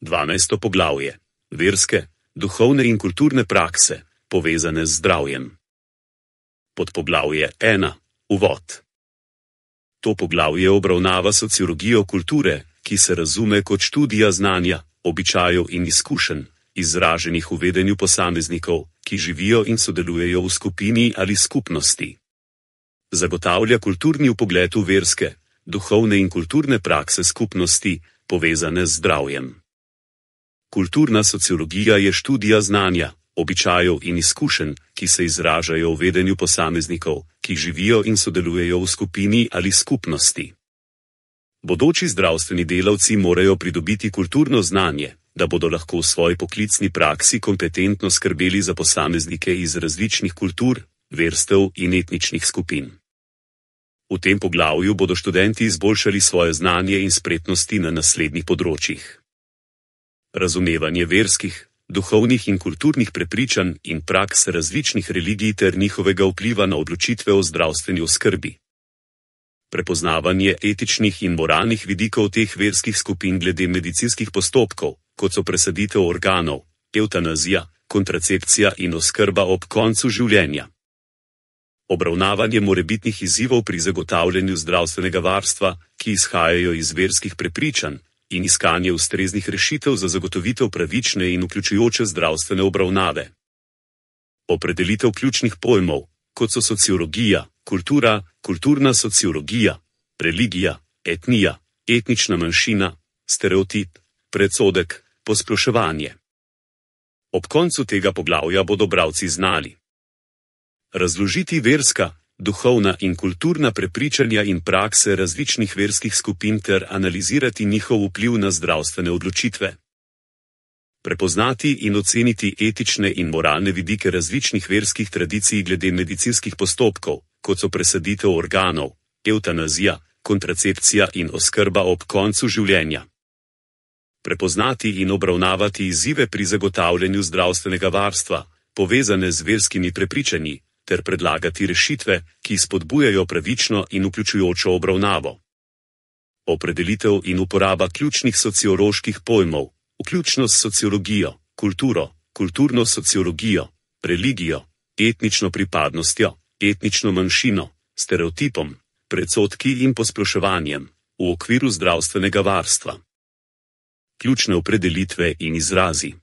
12. poglavje. Verske, duhovne in kulturne prakse, povezane z zdravjem. Podpoglavje 1. Uvod. To poglavje obravnava sociologijo kulture, ki se razume kot študija znanja, običajev in izkušenj, izraženih v vedenju posameznikov, ki živijo in sodelujejo v skupini ali skupnosti. Zagotavlja kulturni vpogled v verske, duhovne in kulturne prakse skupnosti, povezane z zdravjem. Kulturna sociologija je študija znanja, običajev in izkušenj, ki se izražajo v vedenju posameznikov, ki živijo in sodelujejo v skupini ali skupnosti. Bodoči zdravstveni delavci morajo pridobiti kulturno znanje, da bodo lahko v svoji poklicni praksi kompetentno skrbeli za posameznike iz različnih kultur, verstev in etničnih skupin. V tem poglavju bodo študenti izboljšali svoje znanje in spretnosti na naslednjih področjih. Razumevanje verskih, duhovnih in kulturnih prepričanj in praks različnih religij ter njihovega vpliva na odločitve o zdravstveni oskrbi. Prepoznavanje etičnih in moralnih vidikov teh verskih skupin glede medicinskih postopkov, kot so presaditev organov, evtanazija, kontracepcija in oskrba ob koncu življenja. Obravnavanje morebitnih izzivov pri zagotavljanju zdravstvenega varstva, ki izhajajo iz verskih prepričanj, in iskanje ustreznih rešitev za zagotovitev pravične in vključujoče zdravstvene obravnave. Opredelitev ključnih pojmov, kot so sociologija, kultura, kulturna sociologija, religija, etnija, etnična manjšina, stereotip, predsodek, posploševanje. Ob koncu tega poglavja bodo bralci znali razložiti verska, duhovna in kulturna prepričanja in prakse različnih verskih skupin ter analizirati njihov vpliv na zdravstvene odločitve. Prepoznati in oceniti etične in moralne vidike različnih verskih tradicij glede medicinskih postopkov, kot so presaditev organov, evtanazija, kontracepcija in oskrba ob koncu življenja. Prepoznati in obravnavati izzive pri zagotavljanju zdravstvenega varstva, povezane z verskimi prepričanji, ter predlagati rešitve, ki spodbujajo pravično in vključujočo obravnavo. Opredelitev in uporaba ključnih socioloških pojmov, vključno s sociologijo, kulturo, kulturno sociologijo, religijo, etnično pripadnostjo, etnično manjšino, stereotipom, predsodki in posploševanjem, v okviru zdravstvenega varstva. Ključne opredelitve in izrazi.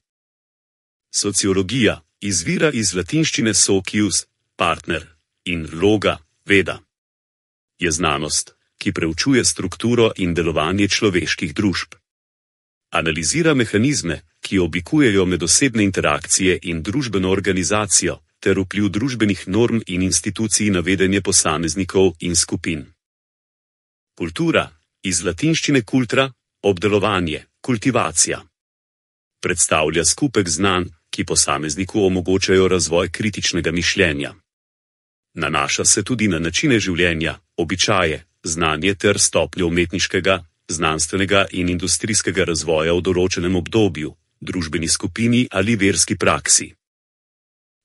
Sociologija izvira iz latinščine socius, partner, in loga, veda. Je znanost, ki preučuje strukturo in delovanje človeških družb. Analizira mehanizme, ki oblikujejo medosebne interakcije in družbeno organizacijo, ter vpliv družbenih norm in institucij na vedenje posameznikov in skupin. Kultura, iz latinščine cultura, obdelovanje, kultivacija. Predstavlja skupek znanj, ki posamezniku omogočajo razvoj kritičnega mišljenja. Nanaša se tudi na načine življenja, običaje, znanje ter stopnjo umetniškega, znanstvenega in industrijskega razvoja v določenem obdobju, družbeni skupini ali verski praksi.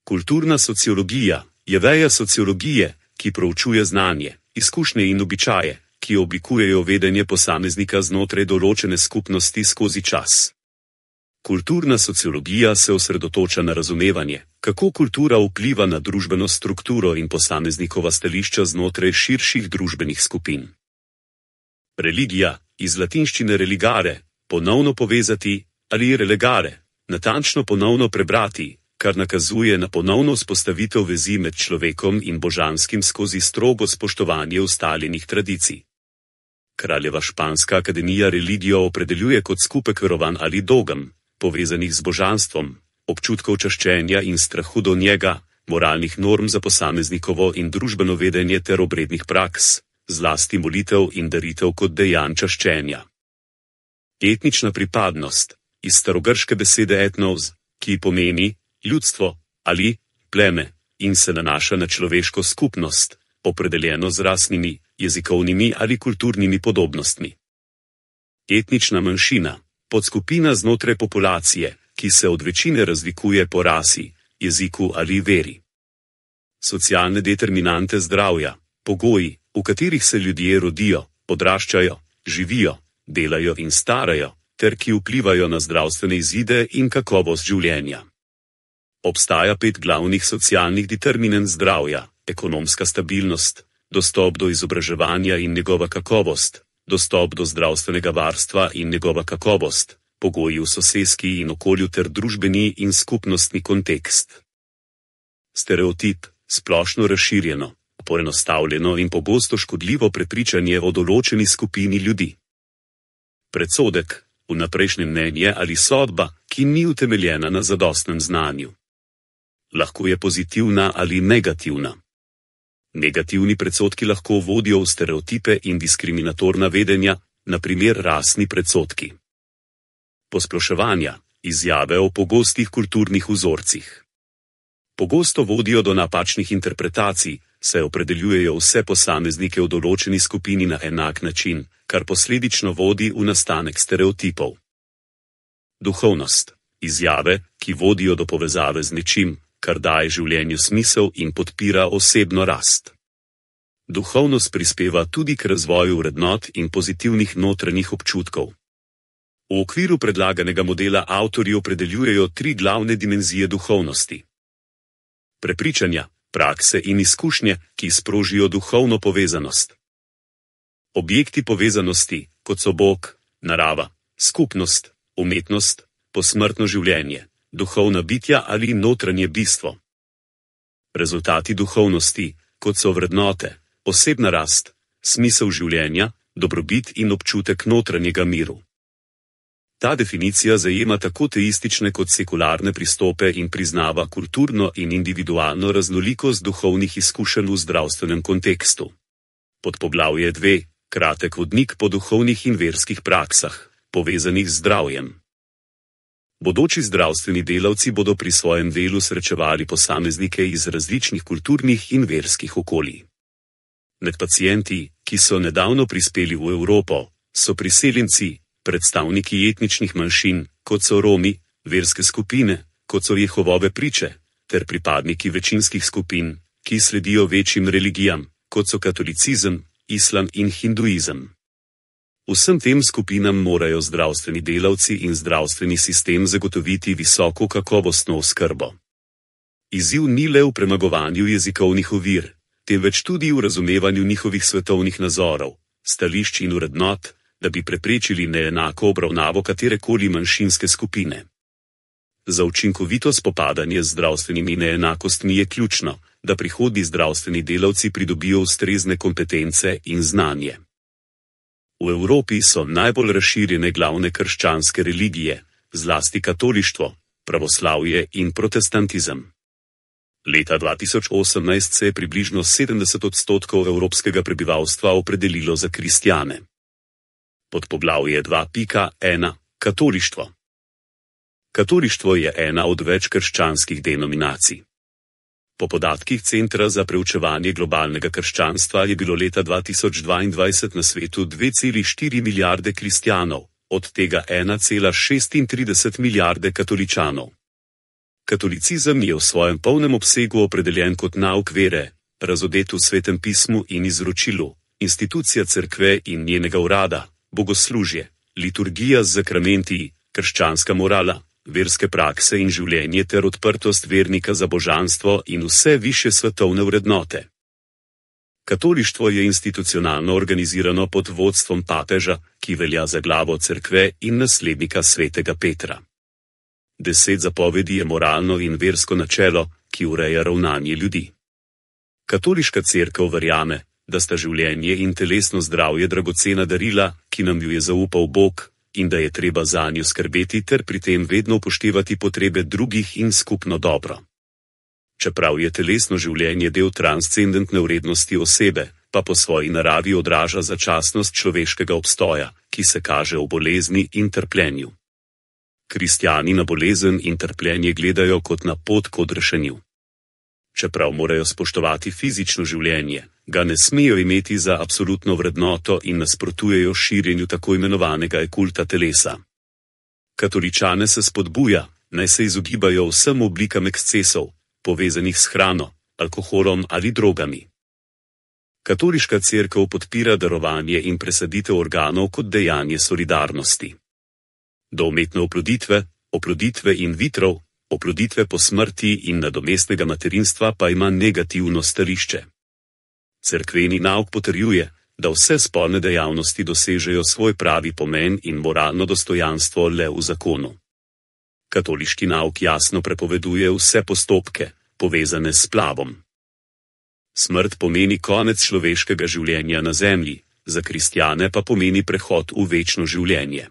Kulturna sociologija je veja sociologije, ki proučuje znanje, izkušnje in običaje, ki oblikujejo vedenje posameznika znotraj določene skupnosti skozi čas. Kulturna sociologija se osredotoča na razumevanje, kako kultura vpliva na družbeno strukturo in posameznikova stališča znotraj širših družbenih skupin. Religija, iz latinščine religare, ponovno povezati, ali relegare, natančno ponovno prebrati, kar nakazuje na ponovno vzpostavitev vezi med človekom in božanskim skozi strogo spoštovanje ustaljenih tradicij. Kraljeva španska akademija religijo opredeljuje kot skupek verovanj ali dogem, povezanih z božanstvom, občutkov čaščenja in strahu do njega, moralnih norm za posameznikovo in družbeno vedenje ter obrednih praks, zlasti molitev in daritev kot dejanj čaščenja. Etnična pripadnost, iz starogrške besede etnos, ki pomeni ljudstvo ali pleme in se nanaša na človeško skupnost, opredeljeno z rasnimi, jezikovnimi ali kulturnimi podobnostmi. Etnična manjšina, podskupina znotraj populacije, ki se od večine razlikuje po rasi, jeziku ali veri. Socialne determinante zdravja, pogoji, v katerih se ljudje rodijo, odraščajo, živijo, delajo in starajo, ter ki vplivajo na zdravstvene izide in kakovost življenja. Obstaja 5 glavnih socialnih determinant zdravja: ekonomska stabilnost, dostop do izobraževanja in njegova kakovost, dostop do zdravstvenega varstva in njegova kakovost, pogoji v soseski in okolju ter družbeni in skupnostni kontekst. Stereotip, splošno razširjeno, poenostavljeno in pogosto škodljivo prepričanje o določeni skupini ljudi. Predsodek, vnaprejšnje mnenje ali sodba, ki ni utemeljena na zadostnem znanju. Lahko je pozitivna ali negativna. Negativni predsodki lahko vodijo v stereotipe in diskriminatorna vedenja, na primer rasni predsodki. Posploševanja, izjave o pogostih kulturnih vzorcih. Pogosto vodijo do napačnih interpretacij, saj opredeljujejo vse posameznike v določeni skupini na enak način, kar posledično vodi v nastanek stereotipov. Duhovnost, izjave, ki vodijo do povezave z nečim, kar daje življenju smisel in podpira osebno rast. Duhovnost prispeva tudi k razvoju vrednot in pozitivnih notranjih občutkov. V okviru predlaganega modela avtorji opredeljujejo 3 glavne dimenzije duhovnosti. Prepričanja, prakse in izkušnje, ki sprožijo duhovno povezanost. Objekti povezanosti, kot so Bog, narava, skupnost, umetnost, posmrtno življenje, duhovna bitja ali notranje bistvo. Rezultati duhovnosti, kot so vrednote, osebna rast, smisel življenja, dobrobit in občutek notranjega miru. Ta definicija zajema tako teistične kot sekularne pristope in priznava kulturno in individualno raznolikost duhovnih izkušenj v zdravstvenem kontekstu. Podpoglavje 2. Kratek vodnik po duhovnih in verskih praksah, povezanih z zdravjem. Bodoči zdravstveni delavci bodo pri svojem delu srečevali posameznike iz različnih kulturnih in verskih okolij. Med pacienti, ki so nedavno prispeli v Evropo, so priseljenci, predstavniki etničnih manjšin, kot so Romi, verske skupine, kot so Jehovove priče, ter pripadniki večinskih skupin, ki sledijo večjim religijam, kot so katolicizem, islam in hinduizem. Vsem tem skupinam morajo zdravstveni delavci in zdravstveni sistem zagotoviti visoko kakovostno oskrbo. Izziv ni le v premagovanju jezikovnih ovir, temveč tudi v razumevanju njihovih svetovnih nazorov, stališč in vrednot, da bi preprečili neenako obravnavo katerekoli manjšinske skupine. Za učinkovito spopadanje z zdravstvenimi neenakostmi je ključno, da prihodnji zdravstveni delavci pridobijo ustrezne kompetence in znanje. V Evropi so najbolj razširjene glavne krščanske religije, zlasti katolištvo, pravoslavje in protestantizem. Leta 2018 se je približno 70% evropskega prebivalstva opredelilo za kristjane. Podpoglavje 2.1. Katolištvo. Katolištvo je ena od več krščanskih denominacij. Po podatkih Centra za preučevanje globalnega krščanstva je bilo leta 2022 na svetu 2,4 milijarde kristjanov, od tega 1,36 milijarde katoličanov. Katolicizem je v svojem polnem obsegu opredeljen kot nauk vere, razodet v Svetem pismu in izročilu, institucija cerkve in njenega urada, bogoslužje, liturgija z zakramenti, krščanska morala, verske prakse in življenje ter odprtost vernika za božanstvo in vse višje svetovne vrednote. Katolištvo je institucionalno organizirano pod vodstvom papeža, ki velja za glavo cerkve in naslednika svetega Petra. 10 zapovedi je moralno in versko načelo, ki ureja ravnanje ljudi. Katoliška cerkev verjame, da sta življenje in telesno zdravje dragocena darila, ki nam ju je zaupal Bog, in da je treba zanju skrbeti ter pri tem vedno upoštevati potrebe drugih in skupno dobro. Čeprav je telesno življenje del transcendentne vrednosti osebe, pa po svoji naravi odraža začasnost človeškega obstoja, ki se kaže v bolezni in trpljenju. Kristjani na bolezen in trpljenje gledajo kot na pot k odrešenju. Čeprav morajo spoštovati fizično življenje, ga ne smejo imeti za absolutno vrednoto in nasprotujejo širjenju tako imenovanega kulta telesa. Katoličane se spodbuja, naj se izogibajo vsem oblikam ekscesov, povezanih s hrano, alkoholom ali drogami. Katoliška cerkev podpira darovanje in presaditev organov kot dejanje solidarnosti. do umetne oploditve in vitrov, oploditve po smrti in nadomestnega materinstva pa ima negativno stališče. Cerkveni nauk potrjuje, da vse spolne dejavnosti dosežejo svoj pravi pomen in moralno dostojanstvo le v zakonu. Katoliški nauk jasno prepoveduje vse postopke, povezane s splavom. Smrt pomeni konec človeškega življenja na zemlji, za kristjane pa pomeni prehod v večno življenje.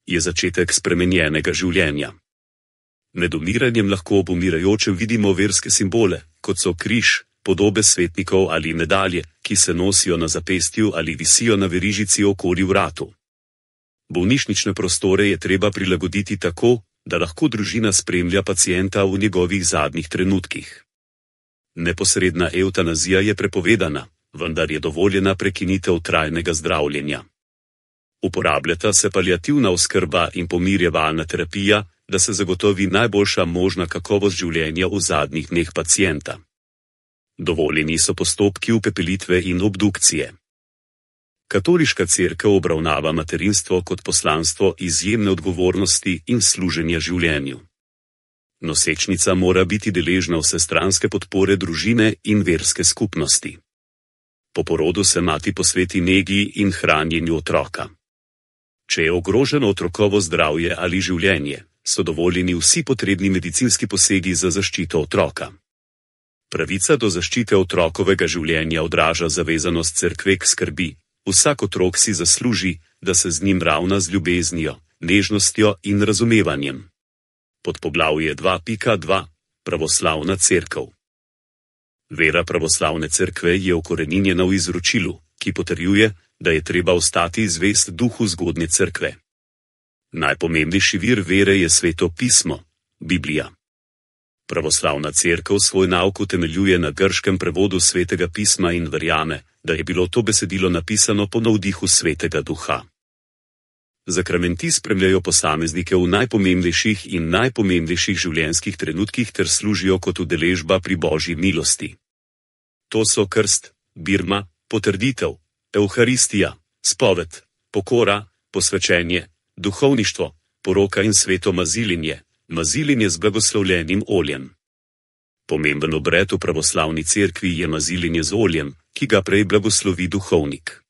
Je začetek spremenjenega življenja. Med umiranjem lahko ob umirajočem vidimo verske simbole, kot so križ, podobe svetnikov ali medalje, ki se nosijo na zapestju ali visijo na verižici okoli vratu. Bolnišnične prostore je treba prilagoditi tako, da lahko družina spremlja pacienta v njegovih zadnjih trenutkih. Neposredna evtanazija je prepovedana, vendar je dovoljena prekinitev trajnega zdravljenja. Uporabljata se paliativna oskrba in pomirjevalna terapija, da se zagotovi najboljša možna kakovost življenja v zadnjih dneh pacienta. Dovoljeni so postopki upepelitve in obdukcije. Katoliška cerkev obravnava materinstvo kot poslanstvo izjemne odgovornosti in služenja življenju. Nosečnica mora biti deležna vsestranske podpore družine in verske skupnosti. Po porodu se mati posveti negi in hranjenju otroka. Če je ogroženo otrokovo zdravje ali življenje, so dovoljeni vsi potrebni medicinski posegi za zaščito otroka. Pravica do zaščite otrokovega življenja odraža zavezanost cerkve k skrbi. Vsak otrok si zasluži, da se z njim ravna z ljubeznijo, nežnostjo in razumevanjem. Podpoglavje 2.2. Pravoslavna cerkev. Vera pravoslavne cerkve je ukoreninjena v izročilu, ki potrjuje, da je treba ostati zvest duhu zgodnje cerkve. Najpomembnejši vir vere je Sveto pismo, Biblija. Pravoslavna cerkev svoj nauk utemeljuje na grškem prevodu Svetega pisma in verjame, da je bilo to besedilo napisano po navdihu Svetega duha. Zakramenti spremljajo posameznike v najpomembnejših in najpomembnejših življenjskih trenutkih ter služijo kot udeležba pri Božji milosti. To so krst, birma, potrditev, evharistija, spoved, pokora, posvečenje, duhovništvo, poroka in sveto mazilinje, mazilinje z blagoslovljenim oljem. Pomemben obred v pravoslavni cerkvi je mazilinje z oljem, ki ga prej blagoslovi duhovnik.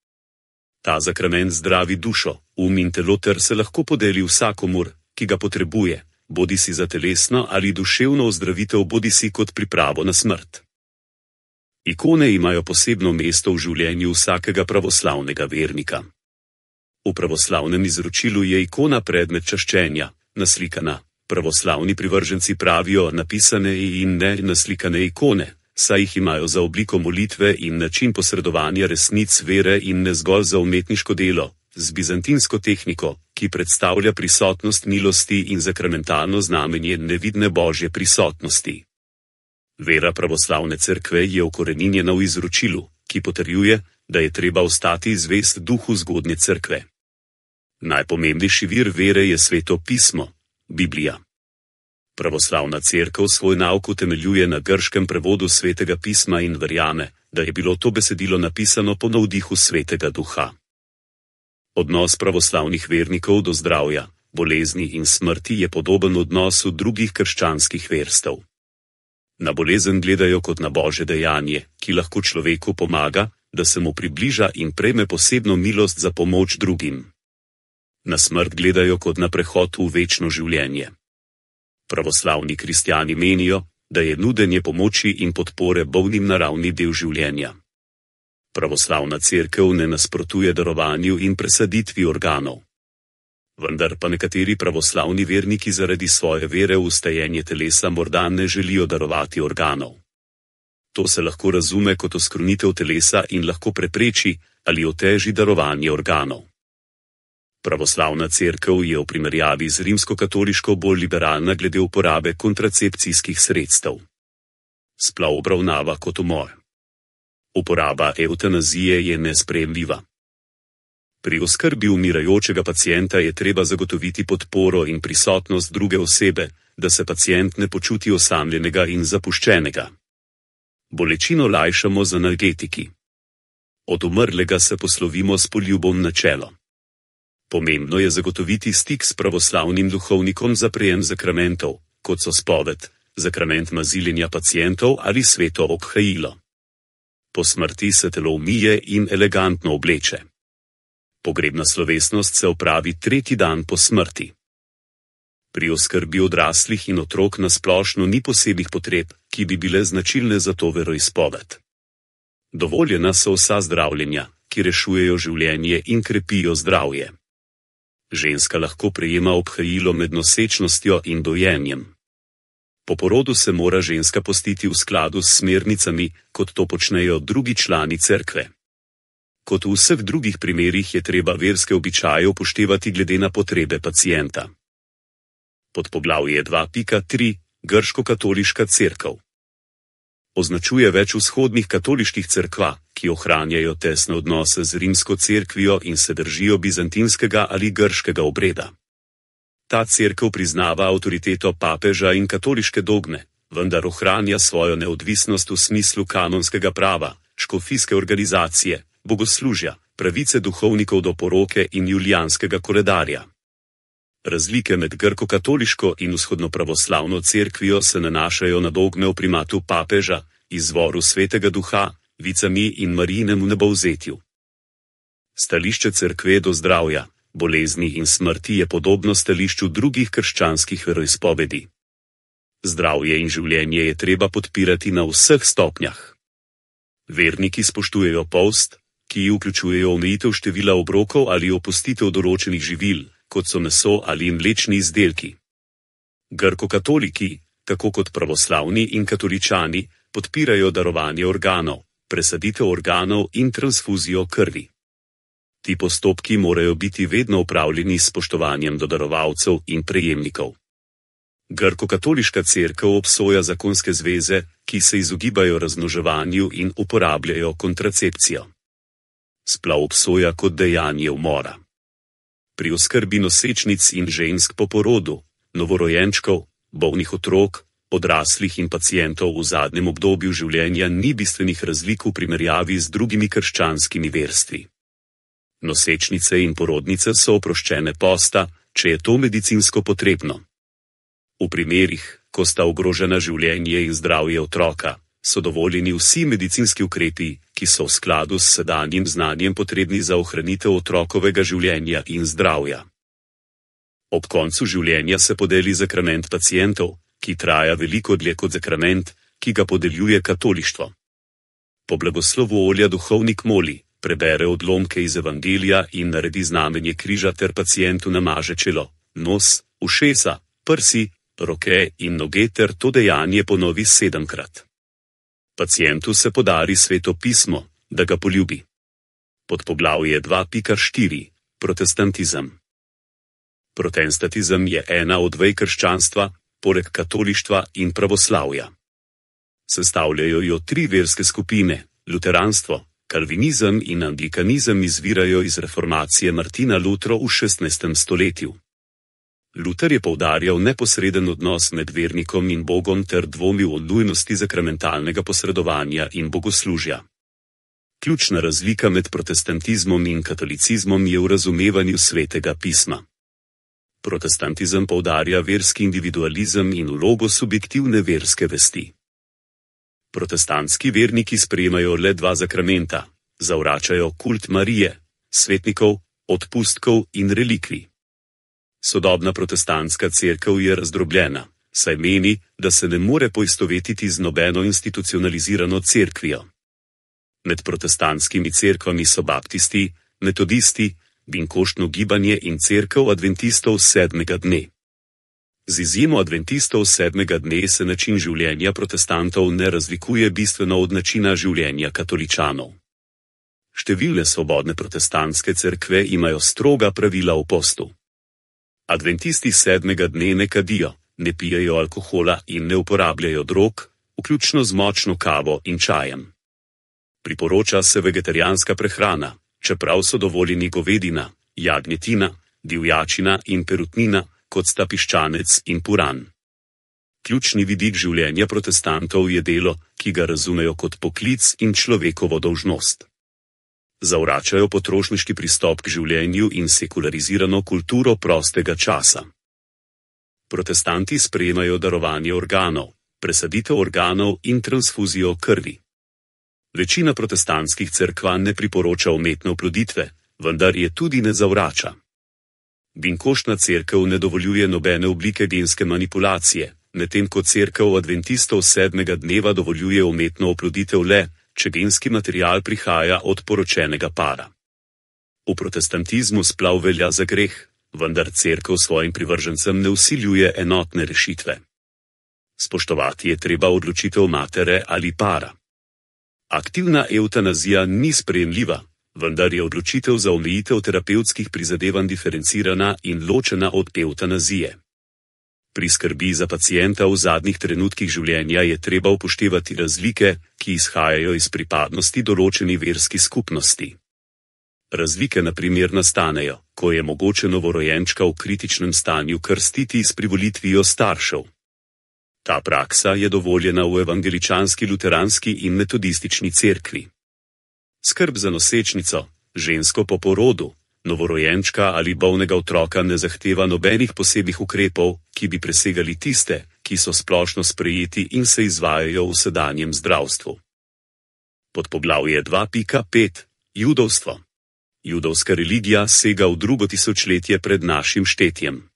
Ta zakrament zdravi dušo, in telo ter se lahko podeli vsakomur, ki ga potrebuje, bodisi za telesno ali duševno ozdravitev, bodisi kot pripravo na smrt. Ikone imajo posebno mesto v življenju vsakega pravoslavnega vernika. V pravoslavnem izročilu je ikona predmet čaščenja, naslikana. Pravoslavni privrženci pravijo napisane in ne naslikane ikone, saj jih imajo za obliko molitve in način posredovanja resnic vere in ne zgolj za umetniško delo, z bizantinsko tehniko, ki predstavlja prisotnost milosti in zakramentalno znamenje nevidne Božje prisotnosti. Vera pravoslavne cerkve je ukoreninjena v izročilu, ki potrjuje, da je treba ostati zvest duhu zgodnje cerkve. Najpomembnejši vir vere je Sveto pismo, Biblija. Pravoslavna cerkev svoj nauk utemeljuje na grškem prevodu Svetega pisma in verjame, da je bilo to besedilo napisano po navdihu Svetega duha. Odnos pravoslavnih vernikov do zdravja, bolezni in smrti je podoben odnosu drugih krščanskih verstev. Na bolezen gledajo kot na Božje dejanje, ki lahko človeku pomaga, da se mu približa in prejme posebno milost za pomoč drugim. Na smrt gledajo kot na prehod v večno življenje. Pravoslavni kristjani menijo, da je nudenje pomoči in podpore bolnim naravni del življenja. Pravoslavna cerkev ne nasprotuje darovanju in presaditvi organov. Vendar pa nekateri pravoslavni verniki zaradi svoje vere v stajenje telesa morda ne želijo darovati organov. To se lahko razume kot oskrunitev telesa in lahko prepreči ali oteži darovanje organov. Pravoslavna cerkev je v primerjavi z rimskokatoliško bolj liberalna glede uporabe kontracepcijskih sredstev. Splav obravnava kot umor. Uporaba evtanazije je nesprejemljiva. Pri oskrbi umirajočega pacienta je treba zagotoviti podporo in prisotnost druge osebe, da se pacient ne počuti osamljenega in zapuščenega. Bolečino lajšamo z analgetiki. Od umrlega se poslovimo s poljubom na čelo. Pomembno je zagotoviti stik s pravoslavnim duhovnikom za prejem zakramentov, kot so spoved, zakrament maziljenja pacientov ali sveto obhajilo. Po smrti se telo umije in elegantno obleče. Pogrebna slovesnost se opravi 3. dan po smrti. Pri oskrbi odraslih in otrok na splošno ni posebnih potreb, ki bi bile značilne za to veroizpoved. Dovoljena so vsa zdravljenja, ki rešujejo življenje in krepijo zdravje. Ženska lahko prejema obhajilo med nosečnostjo in dojenjem. Po porodu se mora ženska postiti v skladu s smernicami, kot to počnejo drugi člani cerkve. Kot v vseh drugih primerih je treba verske običaje upoštevati glede na potrebe pacienta. Podpoglavje 2.3. Grško-katoliška cerkev označuje več vzhodnih katoliških cerkva, ki ohranjajo tesne odnose z rimsko cerkvijo in se držijo bizantinskega ali grškega obreda. Ta cerkev priznava avtoriteto papeža in katoliške dogme, vendar ohranja svojo neodvisnost v smislu kanonskega prava, škofijske organizacije, bogoslužja, pravice duhovnikov do poroke in julijanskega koledarja. Razlike med grko-katoliško in vzhodnopravoslavno cerkvijo se nanašajo na dogme o primatu papeža, izvoru svetega duha, vicami in Marijinem vnebovzetju. Stališče cerkve do zdravja, bolezni in smrti je podobno stališču drugih krščanskih veroizpovedi. Zdravje in življenje je treba podpirati na vseh stopnjah. Verniki spoštujejo post, ki vključujejo omejitev števila obrokov ali opustitev določenih živil, kot so meso ali mlečni izdelki. Grko-katoliki, tako kot pravoslavni in katoličani, podpirajo darovanje organov, presaditev organov in transfuzijo krvi. Ti postopki morajo biti vedno opravljeni s spoštovanjem do darovalcev in prejemnikov. Grko-katoliška cerkev obsoja zakonske zveze, ki se izogibajo razmnoževanju in uporabljajo kontracepcijo. Splav obsoja kot dejanje umora. Pri oskrbi nosečnic in žensk po porodu, novorojenčkov, bolnih otrok, odraslih in pacientov v zadnjem obdobju življenja ni bistvenih razlik v primerjavi z drugimi krščanskimi verstvi. Nosečnice in porodnice so oproščene posta, če je to medicinsko potrebno. V primerih, ko sta ogrožena življenje in zdravje otroka, so dovoljeni vsi medicinski ukrepi, ki so v skladu s sedanjim znanjem potrebni za ohranitev otrokovega življenja in zdravja. Ob koncu življenja se podeli zakrament pacientov, ki traja veliko dlje kot zakrament, ki ga podeljuje katolištvo. Po blagoslovu olja duhovnik moli, prebere odlomke iz evangelija in naredi znamenje križa ter pacientu namaže čelo, nos, ušesa, prsi, roke in noge ter to dejanje ponovi 7-krat. Pacientu se podari sveto pismo, da ga poljubi. Podpoglavje 2.4. Protestantizem. Protestantizem je ena od vej krščanstva, poleg katolištva in pravoslavja. Sestavljajo jo 3 verske skupine, luteranstvo, kalvinizem in anglikanizem izvirajo iz reformacije Martina Lutra v 16. stoletju. Luther je poudarjal neposreden odnos med vernikom in Bogom ter dvomil o nujnosti zakramentalnega posredovanja in bogoslužja. Ključna razlika med protestantizmom in katolicizmom je v razumevanju svetega pisma. Protestantizem poudarja verski individualizem in vlogo subjektivne verske vesti. Protestantski verniki sprejemajo le 2 zakramenta, zavračajo kult Marije, svetnikov, odpustkov in relikvij. Sodobna protestantska cerkev je razdrobljena, saj meni, da se ne more poistovetiti z nobeno institucionalizirano cerkvijo. Med protestantskimi cerkvami so baptisti, metodisti, binkoštno gibanje in cerkev adventistov 7. dne. Z izjemo adventistov 7. dne se način življenja protestantov ne razlikuje bistveno od načina življenja katoličanov. Številne svobodne protestantske cerkve imajo stroga pravila o postu. Adventisti 7. dne ne kadijo, ne pijejo alkohola in ne uporabljajo drog, vključno z močno kavo in čajem. Priporoča se vegetarijanska prehrana, čeprav so dovoljeni govedina, jagnjetina, divjačina in perutnina, kot sta piščanec in puran. Ključni vidik življenja protestantov je delo, ki ga razumejo kot poklic in človekovo dolžnost. Zavračajo potrošniški pristop k življenju in sekularizirano kulturo prostega časa. Protestanti sprejemajo darovanje organov, presaditev organov in transfuzijo krvi. Večina protestantskih cerkva ne priporoča umetne oploditve, vendar je tudi ne zavrača. Binkoštna cerkev ne dovoljuje nobene oblike genske manipulacije, medtem ko cerkev adventistov 7. dneva dovoljuje umetno oploditev le, če genski material prihaja od poročenega para. V protestantizmu splav velja za greh, vendar cerkev svojim privržencem ne vsiljuje enotne rešitve. Spoštovati je treba odločitev matere ali para. Aktivna evtanazija ni sprejemljiva, vendar je odločitev za omejitev terapevtskih prizadevanj diferencirana in ločena od evtanazije. Pri skrbi za pacienta v zadnjih trenutkih življenja je treba upoštevati razlike, ki izhajajo iz pripadnosti določeni verski skupnosti. Razlike na primer nastanejo, ko je mogoče novorojenčka v kritičnem stanju krstiti s privolitvijo staršev. Ta praksa je dovoljena v evangeličanski, luteranski in metodistični cerkvi. Skrb za nosečnico, žensko po porodu, novorojenčka ali bolnega otroka ne zahteva nobenih posebnih ukrepov, ki bi presegali tiste, ki so splošno sprejeti in se izvajajo v sedanjem zdravstvu. Podpoglavje 2.5. Judovstvo. Judovska religija sega v 2. tisočletje pred našim štetjem.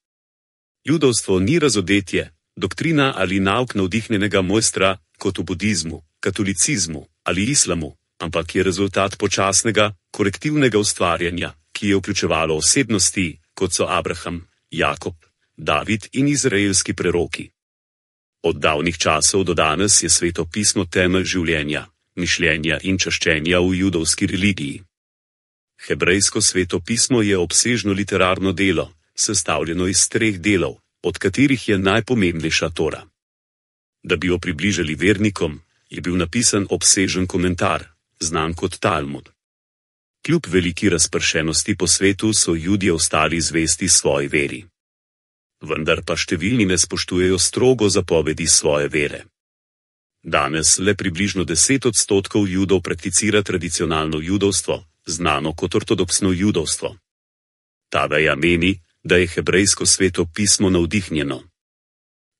Judovstvo ni razodetje, doktrina ali nauk navdihnjenega mojstra, kot v budizmu, katolicizmu ali islamu, ampak je rezultat počasnega, korektivnega ustvarjanja, ki je vključevalo osebnosti, kot so Abraham, Jakob, David in izraelski preroki. Od davnih časov do danes je Sveto pismo temelj življenja, mišljenja in čaščenja v judovski religiji. Hebrejsko Sveto pismo je obsežno literarno delo, sestavljeno iz 3 delov, od katerih je najpomembnejša Tora. Da bi jo približali vernikom, je bil napisan obsežen komentar, znan kot Talmud. Kljub veliki razpršenosti po svetu so Judje ostali zvesti svoji veri. Vendar pa številni ne spoštujejo strogo zapovedi svoje vere. Danes le približno 10% Judov prakticira tradicionalno judovstvo, znano kot ortodoksno judovstvo. Ta veja meni, da je hebrejsko Sveto pismo navdihnjeno.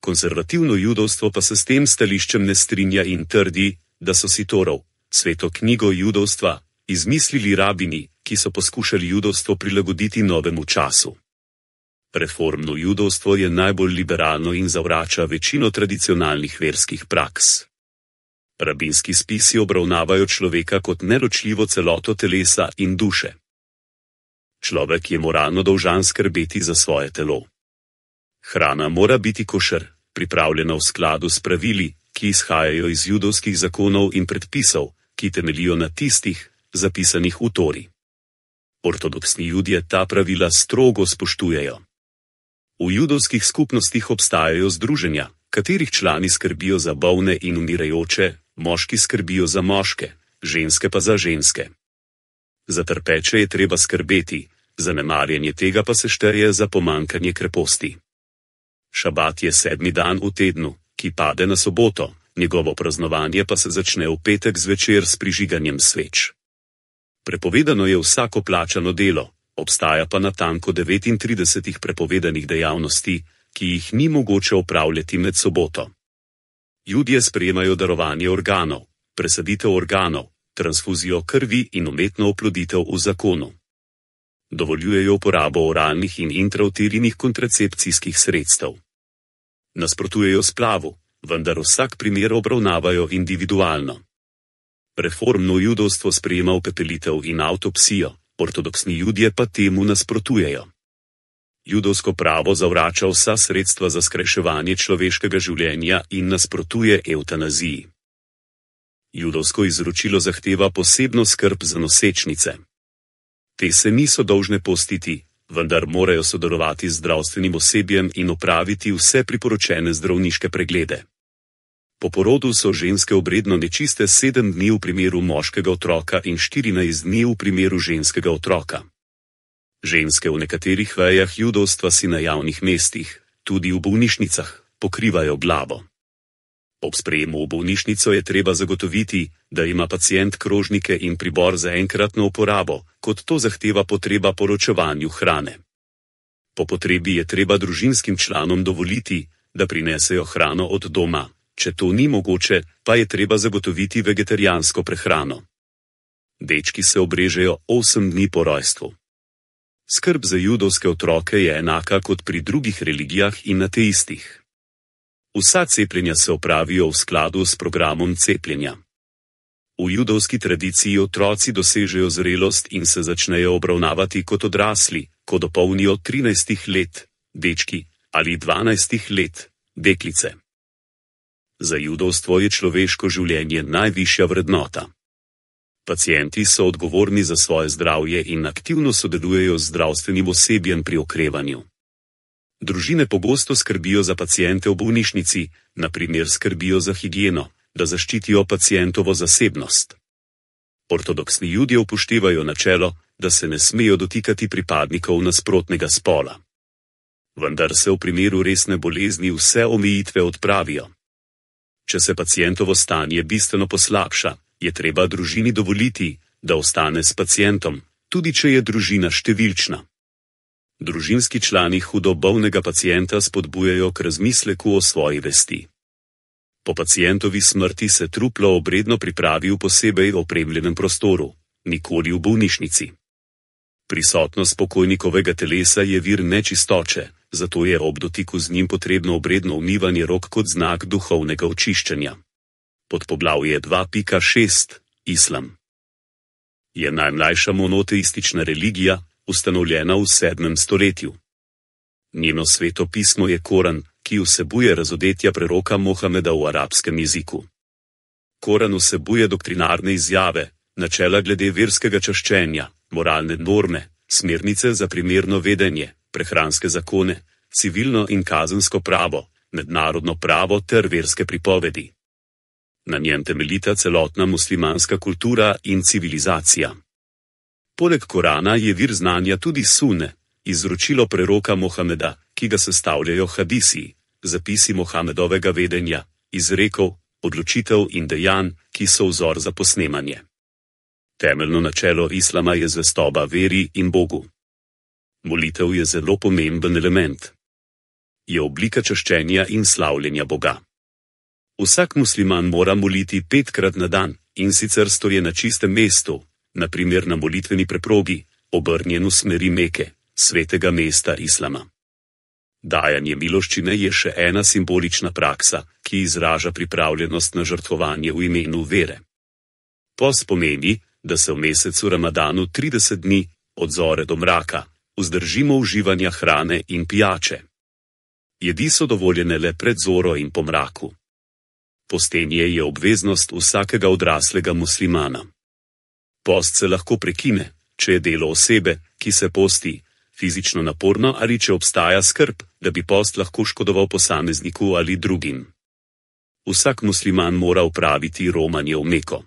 Konservativno judovstvo pa se s tem stališčem ne strinja in trdi, da so si Torov, Sveto knjigo judovstva, izmislili rabini, ki so poskušali judovstvo prilagoditi novemu času. Reformno judovstvo je najbolj liberalno in zavrača večino tradicionalnih verskih praks. Rabinski spisi obravnavajo človeka kot neločljivo celoto telesa in duše. Človek je moralno dolžan skrbeti za svoje telo. Hrana mora biti košer, pripravljena v skladu s pravili, ki izhajajo iz judovskih zakonov in predpisov, ki temeljijo na tistih, zapisanih v Tori. Ortodoksni Judje ta pravila strogo spoštujejo. V judovskih skupnostih obstajajo združenja, katerih člani skrbijo za bolne in umirajoče, moški skrbijo za moške, ženske pa za ženske. Za trpeče je treba skrbeti, zanemarjanje tega pa se šteje za pomanjkanje kreposti. Šabat je 7. dan v tednu, ki pade na soboto, njegovo praznovanje pa se začne v petek zvečer s prižiganjem sveč. Prepovedano je vsako plačano delo, obstaja pa natanko 39 prepovedanih dejavnosti, ki jih ni mogoče opravljati med soboto. Judje sprejemajo darovanje organov, presaditev organov, transfuzijo krvi in umetno oploditev v zakonu. Dovoljujejo uporabo oralnih in intrauterinih kontracepcijskih sredstev. Nasprotujejo splavu, vendar vsak primer obravnavajo individualno. Reformno judovstvo sprejema upepelitev in avtopsijo, ortodoksni Judje pa temu nasprotujejo. Judovsko pravo zavrača vsa sredstva za skrajševanje človeškega življenja in nasprotuje evtanaziji. Judovsko izročilo zahteva posebno skrb za nosečnice. Te se niso dolžne postiti, vendar morajo sodelovati z zdravstvenim osebjem in opraviti vse priporočene zdravniške preglede. Po porodu so ženske obredno nečiste 7 dni v primeru moškega otroka in 14 dni v primeru ženskega otroka. Ženske v nekaterih vejah judovstva si na javnih mestih, tudi v bolnišnicah, pokrivajo glavo. Ob sprejemu v bolnišnico je treba zagotoviti, da ima pacient krožnike in pribor za enkratno uporabo, kot to zahteva potreba po ločevanju hrane. Po potrebi je treba družinskim članom dovoliti, da prinesejo hrano od doma, če to ni mogoče, pa je treba zagotoviti vegetarijansko prehrano. Dečki se obrežejo 8 dni po rojstvu. Skrb za judovske otroke je enaka kot pri drugih religijah in ateistih. Vsa cepljenja se opravijo v skladu s programom cepljenja. V judovski tradiciji otroci dosežejo zrelost in se začnejo obravnavati kot odrasli, ko dopolnijo 13 let, dečki, ali 12 let, deklice. Za judovstvo je človeško življenje najvišja vrednota. Pacienti so odgovorni za svoje zdravje in aktivno sodelujejo z zdravstvenim osebjem pri okrevanju. Družine pogosto skrbijo za paciente v bolnišnici, na primer skrbijo za higieno, da zaščitijo pacientovo zasebnost. Ortodoksni Judje upoštevajo načelo, da se ne smejo dotikati pripadnikov nasprotnega spola. Vendar se v primeru resne bolezni vse omejitve odpravijo. Če se pacientovo stanje bistveno poslabša, je treba družini dovoliti, da ostane s pacientom, tudi če je družina številčna. Družinski člani hudo bolnega pacienta spodbujajo k razmisleku o svoji vesti. Po pacientovi smrti se truplo obredno pripravi v posebej opremljenem prostoru, nikoli v bolnišnici. Prisotnost pokojnikovega telesa je vir nečistoče, zato je ob dotiku z njim potrebno obredno umivanje rok kot znak duhovnega očiščenja. Podpoglavje 2.6. Islam je najmlajša monoteistična religija, ustanovljena v 7. stoletju. Njeno sveto pismo je Koran, ki vsebuje razodetja preroka Mohameda v arabskem jeziku. Koran vsebuje doktrinarne izjave, načela glede verskega čaščenja, moralne norme, smernice za primerno vedenje, prehranske zakone, civilno in kazensko pravo, mednarodno pravo ter verske pripovedi. Na njem temeljita celotna muslimanska kultura in civilizacija. Poleg Korana je vir znanja tudi sunne, izročilo preroka Mohameda, ki ga sestavljajo hadisi, zapisi Mohamedovega vedenja, izrekov, odločitev in dejanj, ki so vzor za posnemanje. Temeljno načelo islama je zvestoba veri in Bogu. Molitev je zelo pomemben element. Je oblika čaščenja in slavljenja Boga. Vsak musliman mora moliti 5-krat na dan, in sicer stoje na čistem mestu, na primer na molitveni preprogi, obrnjen v smeri Meke, svetega mesta islama. Dajanje miloščine je še ena simbolična praksa, ki izraža pripravljenost na žrtvovanje v imenu vere. Post pomeni, da se v mesecu Ramadanu 30 dni, od zore do mraka, vzdržimo uživanja hrane in pijače. Jedi so dovoljene le pred zoro in po mraku. Postenje je obveznost vsakega odraslega muslimana. Post se lahko prekine, če je delo osebe, ki se posti, fizično naporno ali če obstaja skrb, da bi post lahko škodoval posamezniku ali drugim. Vsak musliman mora opraviti romanje v Meko.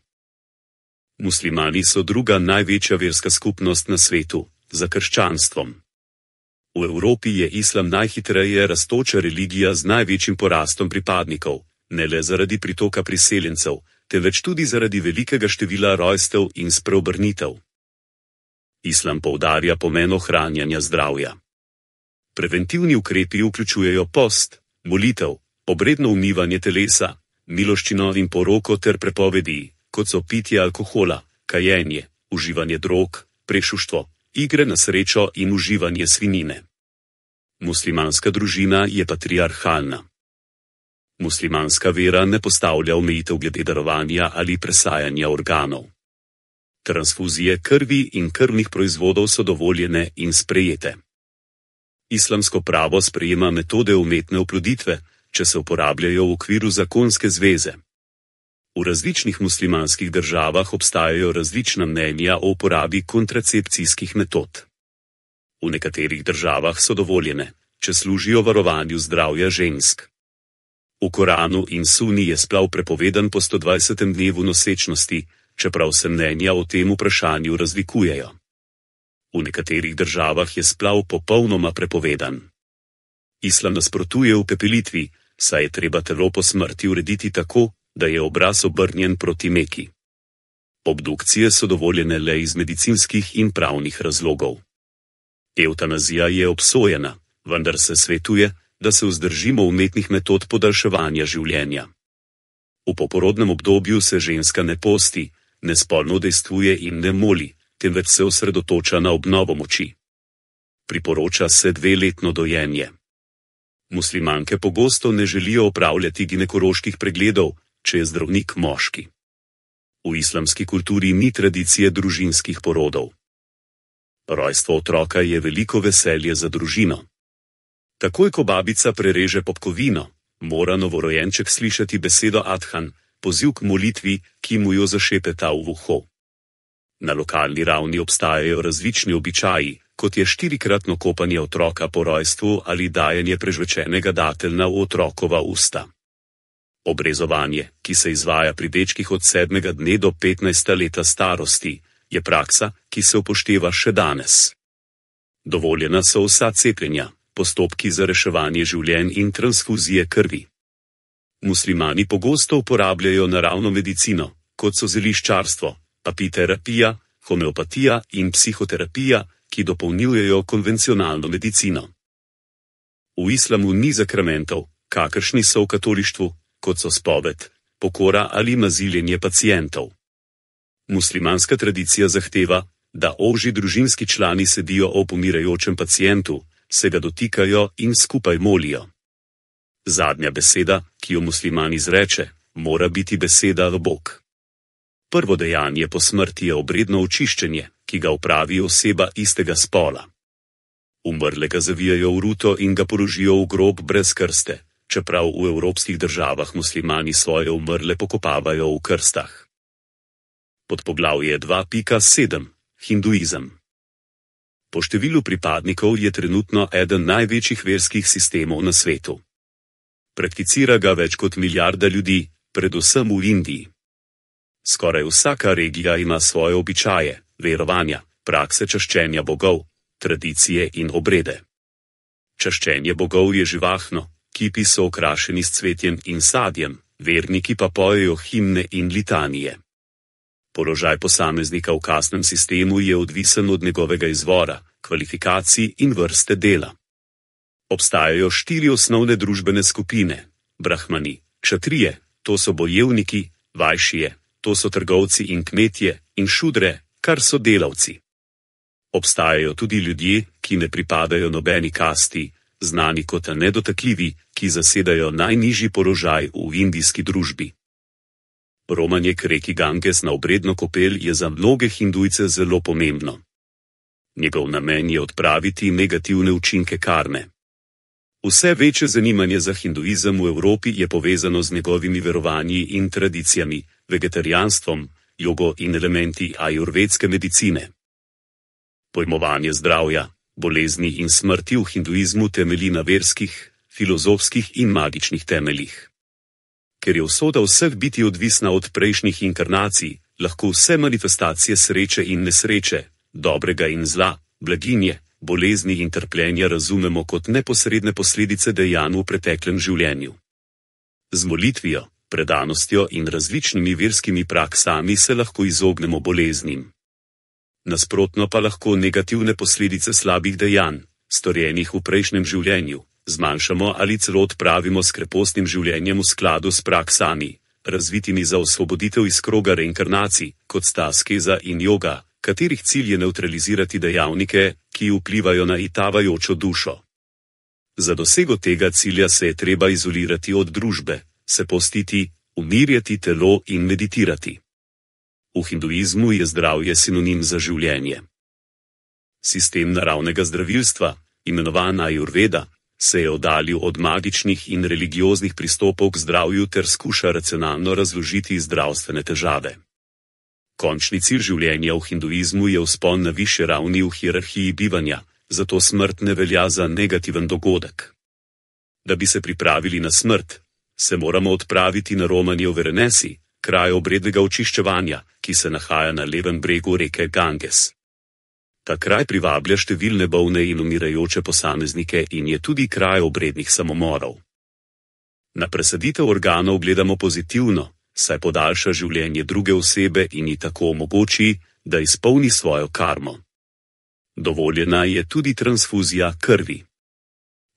Muslimani so druga največja verska skupnost na svetu, za krščanstvom. V Evropi je islam najhitreje rastoča religija z največjim porastom pripadnikov, ne le zaradi pritoka priseljencev, temveč tudi zaradi velikega števila rojstev in spreobrnitev. Islam poudarja pomen ohranjanja zdravja. Preventivni ukrepi vključujejo post, molitev, obredno umivanje telesa, miloščino in poroko ter prepovedi, kot so pitje alkohola, kajenje, uživanje drog, prešuštvo, igre na srečo in uživanje svinjine. Muslimanska družina je patriarhalna. Muslimanska vera ne postavlja omejitev glede darovanja ali presajanja organov. Transfuzije krvi in krvnih proizvodov so dovoljene in sprejete. Islamsko pravo sprejema metode umetne oploditve, če se uporabljajo v okviru zakonske zveze. V različnih muslimanskih državah obstajajo različna mnenja o uporabi kontracepcijskih metod. V nekaterih državah so dovoljene, če služijo varovanju zdravja žensk. V Koranu in Suni je splav prepovedan po 120. dnevu nosečnosti, čeprav se mnenja o tem vprašanju razlikujejo. V nekaterih državah je splav popolnoma prepovedan. Islam nasprotuje upepelitvi, saj je treba telo po smrti urediti tako, da je obraz obrnjen proti Meki. Obdukcije so dovoljene le iz medicinskih in pravnih razlogov. Evtanazija je obsojena, vendar se svetuje, da se vzdržimo umetnih metod podaljševanja življenja. V poporodnem obdobju se ženska ne posti, ne spolno udejstvuje in ne moli, temveč se osredotoča na obnovo moči. Priporoča se 2-letno dojenje. Muslimanke pogosto ne želijo opravljati ginekoloških pregledov, če je zdravnik moški. V islamski kulturi ni tradicije družinskih porodov. Rojstvo otroka je veliko veselje za družino. Takoj ko babica prereže popkovino, mora novorojenček slišati besedo Adhan, poziv k molitvi, ki mu jo zašepeta v uho. Na lokalni ravni obstajajo različni običaji, kot je 4-kratno kopanje otroka po rojstvu ali dajanje prežvečenega dateljna v otrokova usta. Obrezovanje, ki se izvaja pri dečkih od 7. dne do 15. leta starosti, je praksa, ki se upošteva še danes. Dovoljena so vsa cepljenja, postopki za reševanje življenj in transfuzije krvi. Muslimani pogosto uporabljajo naravno medicino, kot so zeliščarstvo, apiterapija, homeopatija in psihoterapija, ki dopolnjujejo konvencionalno medicino. V islamu ni zakramentov, kakršni so v katolištvu, kot so spoved, pokora ali maziljenje pacientov. Muslimanska tradicija zahteva, da ožji družinski člani sedijo ob umirajočem pacientu, se ga dotikajo in skupaj molijo. Zadnja beseda, ki jo musliman izreče, mora biti beseda Bog. Prvo dejanje po smrti je obredno očiščenje, ki ga opravi oseba istega spola. Umrlega zavijajo v ruto in ga položijo v grob brez krste, čeprav v evropskih državah muslimani svoje umrle pokopavajo v krstah. Podpoglavje 2.7. Hinduizem. Po številu pripadnikov je trenutno eden največjih verskih sistemov na svetu. Prakticira ga več kot milijarda ljudi, predvsem v Indiji. Skoraj vsaka regija ima svoje običaje, verovanja, prakse čaščenja bogov, tradicije in obrede. Čaščenje bogov je živahno, kipi so okrašeni s cvetjem in sadjem, verniki pa pojejo himne in litanije. Položaj posameznika v kastnem sistemu je odvisen od njegovega izvora, kvalifikacij in vrste dela. Obstajajo 4 osnovne družbene skupine: brahmani, kšatrije, to so bojevniki, vajšije, to so trgovci in kmetje, in šudre, kar so delavci. Obstajajo tudi ljudje, ki ne pripadajo nobeni kasti, znani kot nedotakljivi, ki zasedajo najnižji položaj v indijski družbi. Romanje k reki Ganges na obredno kopel je za mnoge hindujce zelo pomembno. Njegov namen je odpraviti negativne učinke karme. Vse večje zanimanje za hinduizem v Evropi je povezano z njegovimi verovanji in tradicijami, vegetarijanstvom, jogo in elementi ajurvedske medicine. Pojmovanje zdravja, bolezni in smrti v hinduizmu temelji na verskih, filozofskih in magičnih temeljih. Ker je usoda vseh biti odvisna od prejšnjih inkarnacij, lahko vse manifestacije sreče in nesreče, dobrega in zla, blaginje, bolezni in trpljenja razumemo kot neposredne posledice dejanj v preteklem življenju. Z molitvijo, predanostjo in različnimi verskimi praksami se lahko izognemo boleznim. Nasprotno pa lahko negativne posledice slabih dejanj, storjenih v prejšnjem življenju, zmanjšamo ali celo odpravimo s krepostnim življenjem v skladu s praksami, razvitimi za osvoboditev iz kroga reinkarnacij, kot sta askeza in joga, katerih cilj je nevtralizirati dejavnike, ki vplivajo na itavajočo dušo. Za dosego tega cilja se je treba izolirati od družbe, se postiti, umirjati telo in meditirati. V hinduizmu je zdravje sinonim za življenje. Sistem naravnega zdravilstva, imenovan ajurveda, se je oddaljil od magičnih in religioznih pristopov k zdravju ter skuša racionalno razložiti zdravstvene težave. Končni cilj življenja v hinduizmu je vzpon na višje ravni v hierarhiji bivanja, zato smrt ne velja za negativen dogodek. Da bi se pripravili na smrt, se moramo odpraviti na romanje v Varanasi, kraj obrednega očiščevanja, ki se nahaja na levem bregu reke Ganges. Ta kraj privablja številne bolne in umirajoče posameznike in je tudi kraj obrednih samomorov. Na presaditev organov gledamo pozitivno, saj podaljša življenje druge osebe in ji tako omogoči, da izpolni svojo karmo. Dovoljena je tudi transfuzija krvi.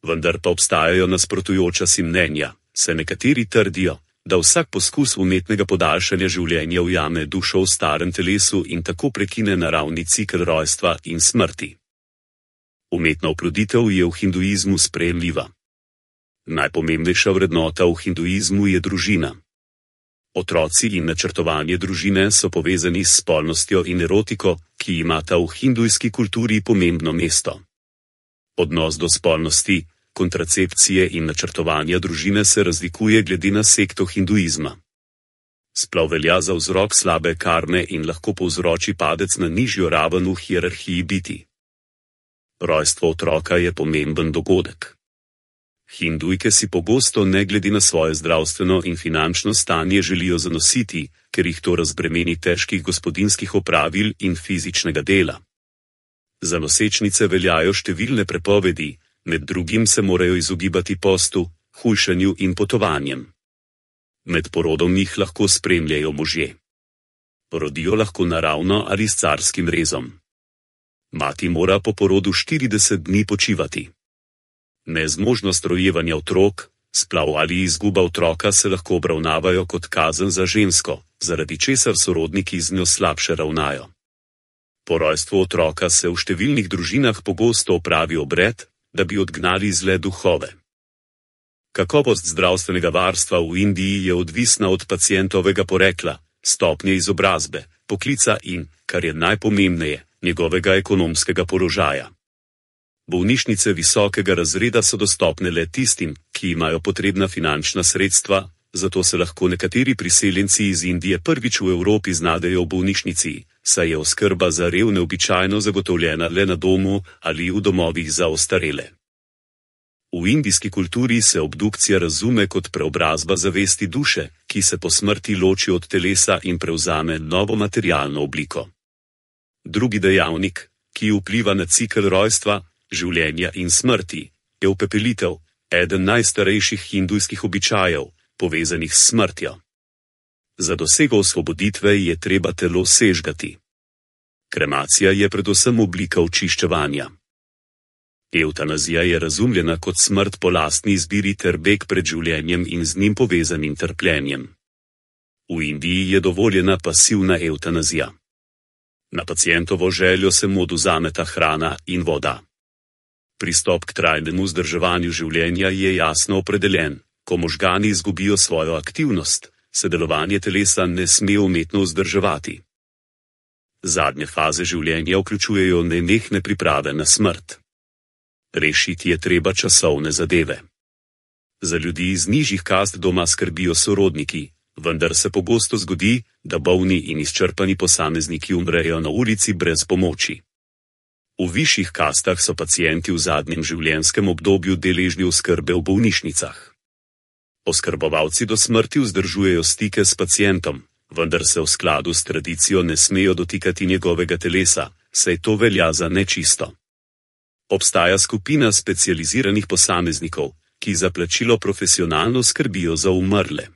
Vendar pa obstajajo nasprotujoča si mnenja, saj nekateri trdijo, da vsak poskus umetnega podaljšanja življenja ujame dušo v starem telesu in tako prekine naravni cikel rojstva in smrti. Umetna oploditev je v hinduizmu sprejemljiva. Najpomembnejša vrednota v hinduizmu je družina. Otroci in načrtovanje družine so povezani s spolnostjo in erotiko, ki imata v hindujski kulturi pomembno mesto. Odnos do spolnosti, kontracepcije in načrtovanja družine se razlikuje glede na sekto hinduizma. Splav velja za vzrok slabe karme in lahko povzroči padec na nižjo raven v hierarhiji biti. Rojstvo otroka je pomemben dogodek. Hindujke si pogosto ne glede na svoje zdravstveno in finančno stanje želijo zanositi, ker jih to razbremeni težkih gospodinjskih opravil in fizičnega dela. Za nosečnice veljajo številne prepovedi, med drugim se morajo izogibati postu, hujšanju in potovanjem. Med porodom jih lahko spremljajo možje. Rodijo lahko naravno ali s carskim rezom. Mati mora po porodu 40 dni počivati. Nezmožnost rojevanja otrok, splav ali izguba otroka se lahko obravnavajo kot kazen za žensko, zaradi česar sorodniki z njo slabše ravnajo. Po rojstvu otroka se v številnih družinah pogosto opravi obred, da bi odgnali zle duhove. Kakovost zdravstvenega varstva v Indiji je odvisna od pacientovega porekla, stopnje izobrazbe, poklica in, kar je najpomembneje, njegovega ekonomskega položaja. Bolnišnice visokega razreda so dostopne le tistim, ki imajo potrebna finančna sredstva, zato se lahko nekateri priseljenci iz Indije prvič v Evropi znajdejo v bolnišnici, saj je oskrba za revne običajno zagotovljena le na domu ali v domovih za ostarele. V indijski kulturi se obdukcija razume kot preobrazba zavesti duše, ki se po smrti loči od telesa in prevzame novo materialno obliko. Drugi dejavnik, ki vpliva na cikel rojstva, življenja in smrti, je upepelitev, eden najstarejših hindujskih običajev, povezanih s smrtjo. Za dosego osvoboditve je treba telo sežgati. Kremacija je predvsem oblika očiščevanja. Evtanazija je razumljena kot smrt po lastni izbiri ter beg pred življenjem in z njim povezanim trpljenjem. V Indiji je dovoljena pasivna evtanazija. Na pacientovo željo se mu odvzameta hrana in voda. Pristop k trajnemu vzdrževanju življenja je jasno opredeljen. Ko možgani izgubijo svojo aktivnost, se delovanje telesa ne sme umetno vzdrževati. Zadnje faze življenja vključujejo nenehne priprave na smrt. Rešiti je treba časovne zadeve. Za ljudi iz nižjih kast doma skrbijo sorodniki, vendar se pogosto zgodi, da bolni in izčrpani posamezniki umrejo na ulici brez pomoči. V višjih kastah so pacienti v zadnjem življenjskem obdobju deležni oskrbe v bolnišnicah. Oskrbovalci do smrti vzdržujejo stike s pacientom, vendar se v skladu s tradicijo ne smejo dotikati njegovega telesa, saj to velja za nečisto. Obstaja skupina specializiranih posameznikov, ki za plačilo profesionalno skrbijo za umrle.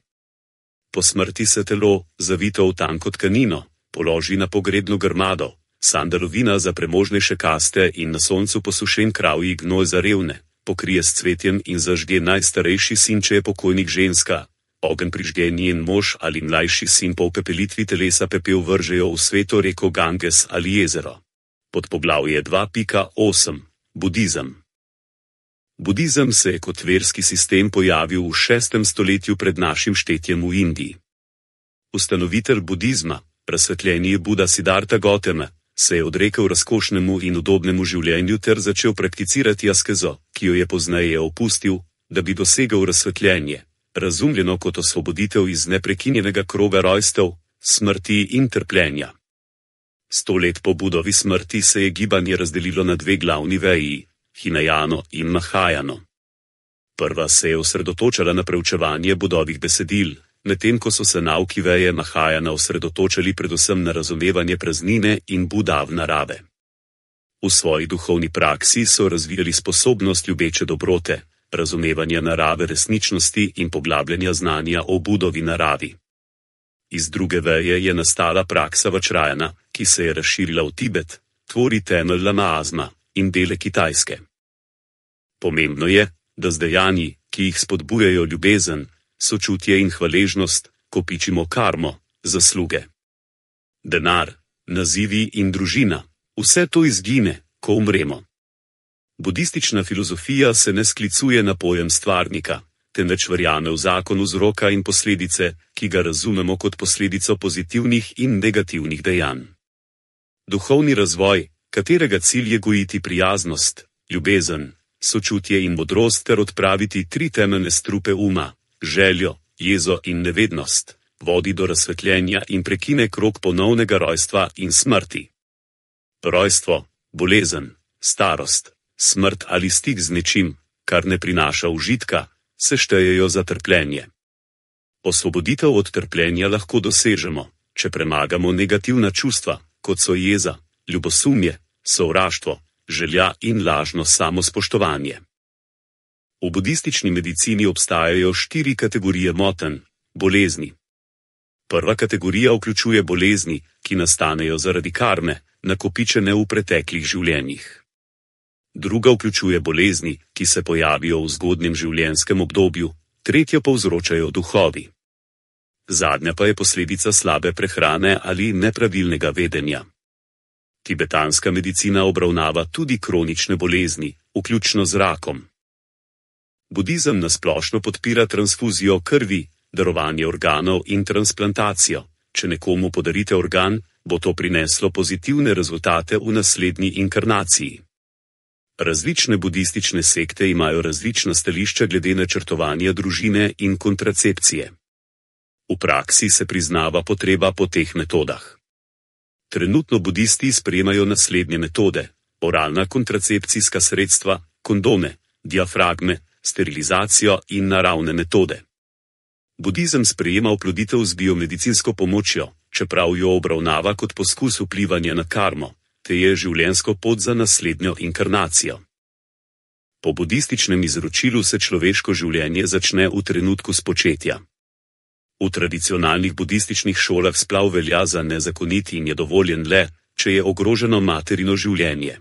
Po smrti se telo, zavito v tanko tkanino, položi na pogrebno grmado, sandalovina za premožnejše kaste in na soncu posušen kravji gnoj za revne, pokrije s cvetjem in zažge najstarejši sin, če je pokojnik ženska, ogenj prižge njen mož ali mlajši sin, po upepelitvi telesa pepel vržejo v sveto reko Ganges ali jezero. Podpoglavje 2.8. Budizem. Budizem se je kot verski sistem pojavil v 6. stoletju pred našim štetjem v Indiji. Ustanovitelj budizma, razsvetljeni Buda Siddhartha Gautama, se je odrekel razkošnemu in udobnemu življenju ter začel prakticirati askezo, ki jo je pozneje opustil, da bi dosegel razsvetljenje, razumljeno kot osvoboditev iz neprekinjenega kroga rojstev, smrti in trpljenja. 100 let po Budovi smrti se je gibanje razdelilo na dve glavni veji, Hinajano in Mahajano. Prva se je osredotočala na preučevanje Budovih besedil, medtem ko so se nauki veje Mahajana osredotočali predvsem na razumevanje praznine in Budav narave. V svoji duhovni praksi so razvijali sposobnost ljubeče dobrote, razumevanja narave resničnosti in poglabljanja znanja o Budovi naravi. Iz druge veje je nastala praksa Vajrayana, ki se je razširila v Tibet, tvori temelj lamaizma in dele Kitajske. Pomembno je, da z dejanji, ki jih spodbujajo ljubezen, sočutje in hvaležnost, kopičimo karmo, zasluge. Denar, nazivi in družina, vse to izgine, ko umremo. Budistična filozofija se ne sklicuje na pojem stvarnika, temveč verjame v zakon vzroka in posledice, ki ga razumemo kot posledico pozitivnih in negativnih dejanj. Duhovni razvoj, katerega cilj je gojiti prijaznost, ljubezen, sočutje in modrost ter odpraviti 3 temeljne strupe uma, željo, jezo in nevednost, vodi do razsvetljenja in prekine krog ponovnega rojstva in smrti. Rojstvo, bolezen, starost, smrt ali stik z nečim, kar ne prinaša užitka, se štejejo za trpljenje. Osvoboditev od trpljenja lahko dosežemo, če premagamo negativna čustva, kot so jeza, ljubosumje, sovraštvo, želja in lažno samospoštovanje. V budistični medicini obstajajo 4 kategorije motenj, bolezni. Prva kategorija vključuje bolezni, ki nastanejo zaradi karme, nakopičene v preteklih življenjih. Druga vključuje bolezni, ki se pojavijo v zgodnjem življenjskem obdobju, tretjo povzročajo duhovi. Zadnja pa je posledica slabe prehrane ali nepravilnega vedenja. Tibetanska medicina obravnava tudi kronične bolezni, vključno z rakom. Budizem nasplošno podpira transfuzijo krvi, darovanje organov in transplantacijo. Če nekomu podarite organ, bo to prineslo pozitivne rezultate v naslednji inkarnaciji. Različne budistične sekte imajo različna stališča glede načrtovanja družine in kontracepcije. V praksi se priznava potreba po teh metodah. Trenutno budisti sprejemajo naslednje metode: oralna kontracepcijska sredstva, kondome, diafragme, sterilizacijo in naravne metode. Budizem sprejema oploditev z biomedicinsko pomočjo, čeprav jo obravnava kot poskus vplivanja na karmo, te je življenjsko pot za naslednjo inkarnacijo. Po budističnem izročilu se človeško življenje začne v trenutku spočetja. V tradicionalnih budističnih šolah splav velja za nezakonit in je dovoljen le, če je ogroženo materino življenje.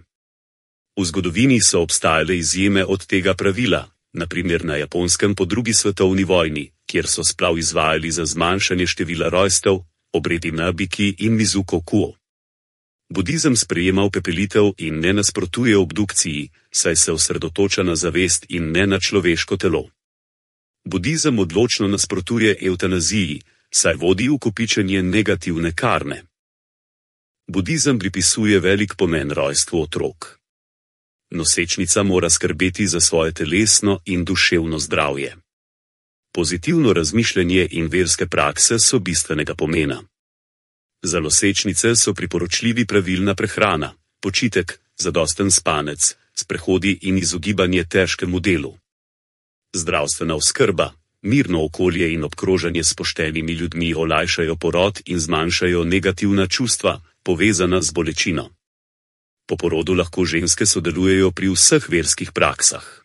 V zgodovini so obstajale izjeme od tega pravila, na primer na Japonskem po 2. svetovni vojni, kjer so splav izvajali za zmanjšanje števila rojstev, obredi Nabiki in Mizuko Kuo. Budizem sprejema upepelitev in ne nasprotuje obdukciji, saj se osredotoča na zavest in ne na človeško telo. Budizem odločno nasprotuje evtanaziji, saj vodi v kopičenje negativne karme. Budizem pripisuje velik pomen rojstvu otrok. Nosečnica mora skrbeti za svoje telesno in duševno zdravje. Pozitivno razmišljanje in verske prakse so bistvenega pomena. Za nosečnice so priporočljivi pravilna prehrana, počitek, zadosten spanec, sprehodi in izogibanje težkemu delu. Zdravstvena oskrba, mirno okolje in obkrožanje s poštenimi ljudmi olajšajo porod in zmanjšajo negativna čustva, povezana z bolečino. Po porodu lahko ženske sodelujejo pri vseh verskih praksah.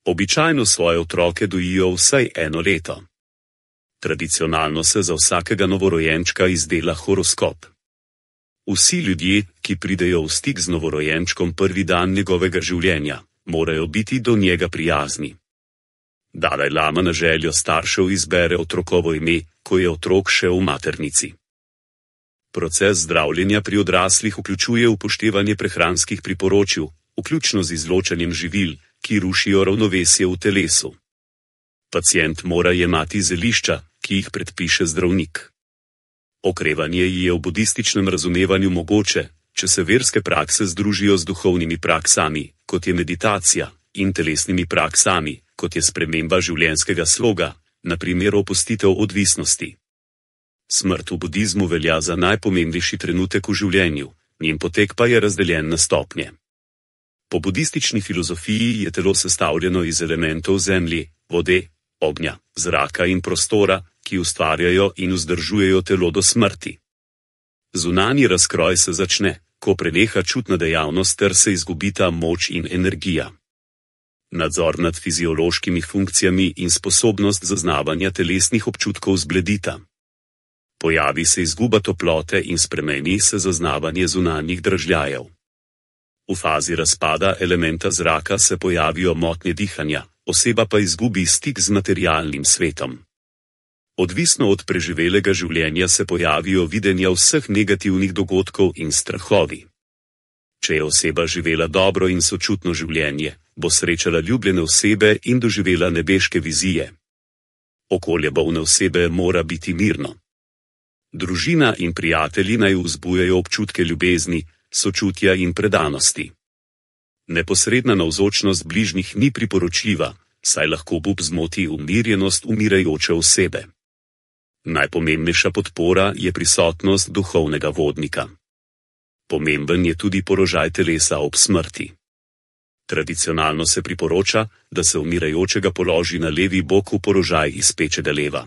Običajno svoje otroke dojijo vsaj 1 leto. Tradicionalno se za vsakega novorojenčka izdela horoskop. Vsi ljudje, ki pridejo v stik z novorojenčkom prvi dan njegovega življenja, morajo biti do njega prijazni. Dalaj Lama na željo staršev izbere otrokovo ime, ko je otrok še v maternici. Proces zdravljenja pri odraslih vključuje upoštevanje prehranskih priporočil, vključno z izločanjem živil, ki rušijo ravnovesje v telesu. Pacient mora jemati zelišča, ki jih predpiše zdravnik. Okrevanje je v budističnem razumevanju mogoče, če se verske prakse združijo z duhovnimi praksami, kot je meditacija, in telesnimi praksami, kot je sprememba življenjskega sloga, na primer opustitev odvisnosti. Smrt v budizmu velja za najpomembnejši trenutek v življenju, njen potek pa je razdeljen na stopnje. Po budistični filozofiji je telo sestavljeno iz elementov zemlje, vode, ognja, zraka in prostora, ki ustvarjajo in vzdržujejo telo do smrti. Zunanji razkroj se začne, ko preneha čutna dejavnost ter se izgubita moč in energija. Nadzor nad fiziološkimi funkcijami in sposobnost zaznavanja telesnih občutkov zbledita. Pojavi se izguba toplote in spremeni se zaznavanje zunanjih dražljajev. V fazi razpada elementa zraka se pojavijo motnje dihanja, oseba pa izgubi stik z materialnim svetom. Odvisno od preživelega življenja se pojavijo videnja vseh negativnih dogodkov in strahovi. Če je oseba živela dobro in sočutno življenje, bo srečala ljubljene osebe in doživela nebeške vizije. Okolje bolne osebe mora biti mirno. Družina in prijatelji naj vzbujajo občutke ljubezni, sočutja in predanosti. Neposredna navzočnost bližnjih ni priporočljiva, saj lahko obup zmoti umirjenost umirajoče osebe. Najpomembnejša podpora je prisotnost duhovnega vodnika. Pomemben je tudi položaj telesa ob smrti. Tradicionalno se priporoča, da se umirajočega položi na levi bok v položaj izpečega leva.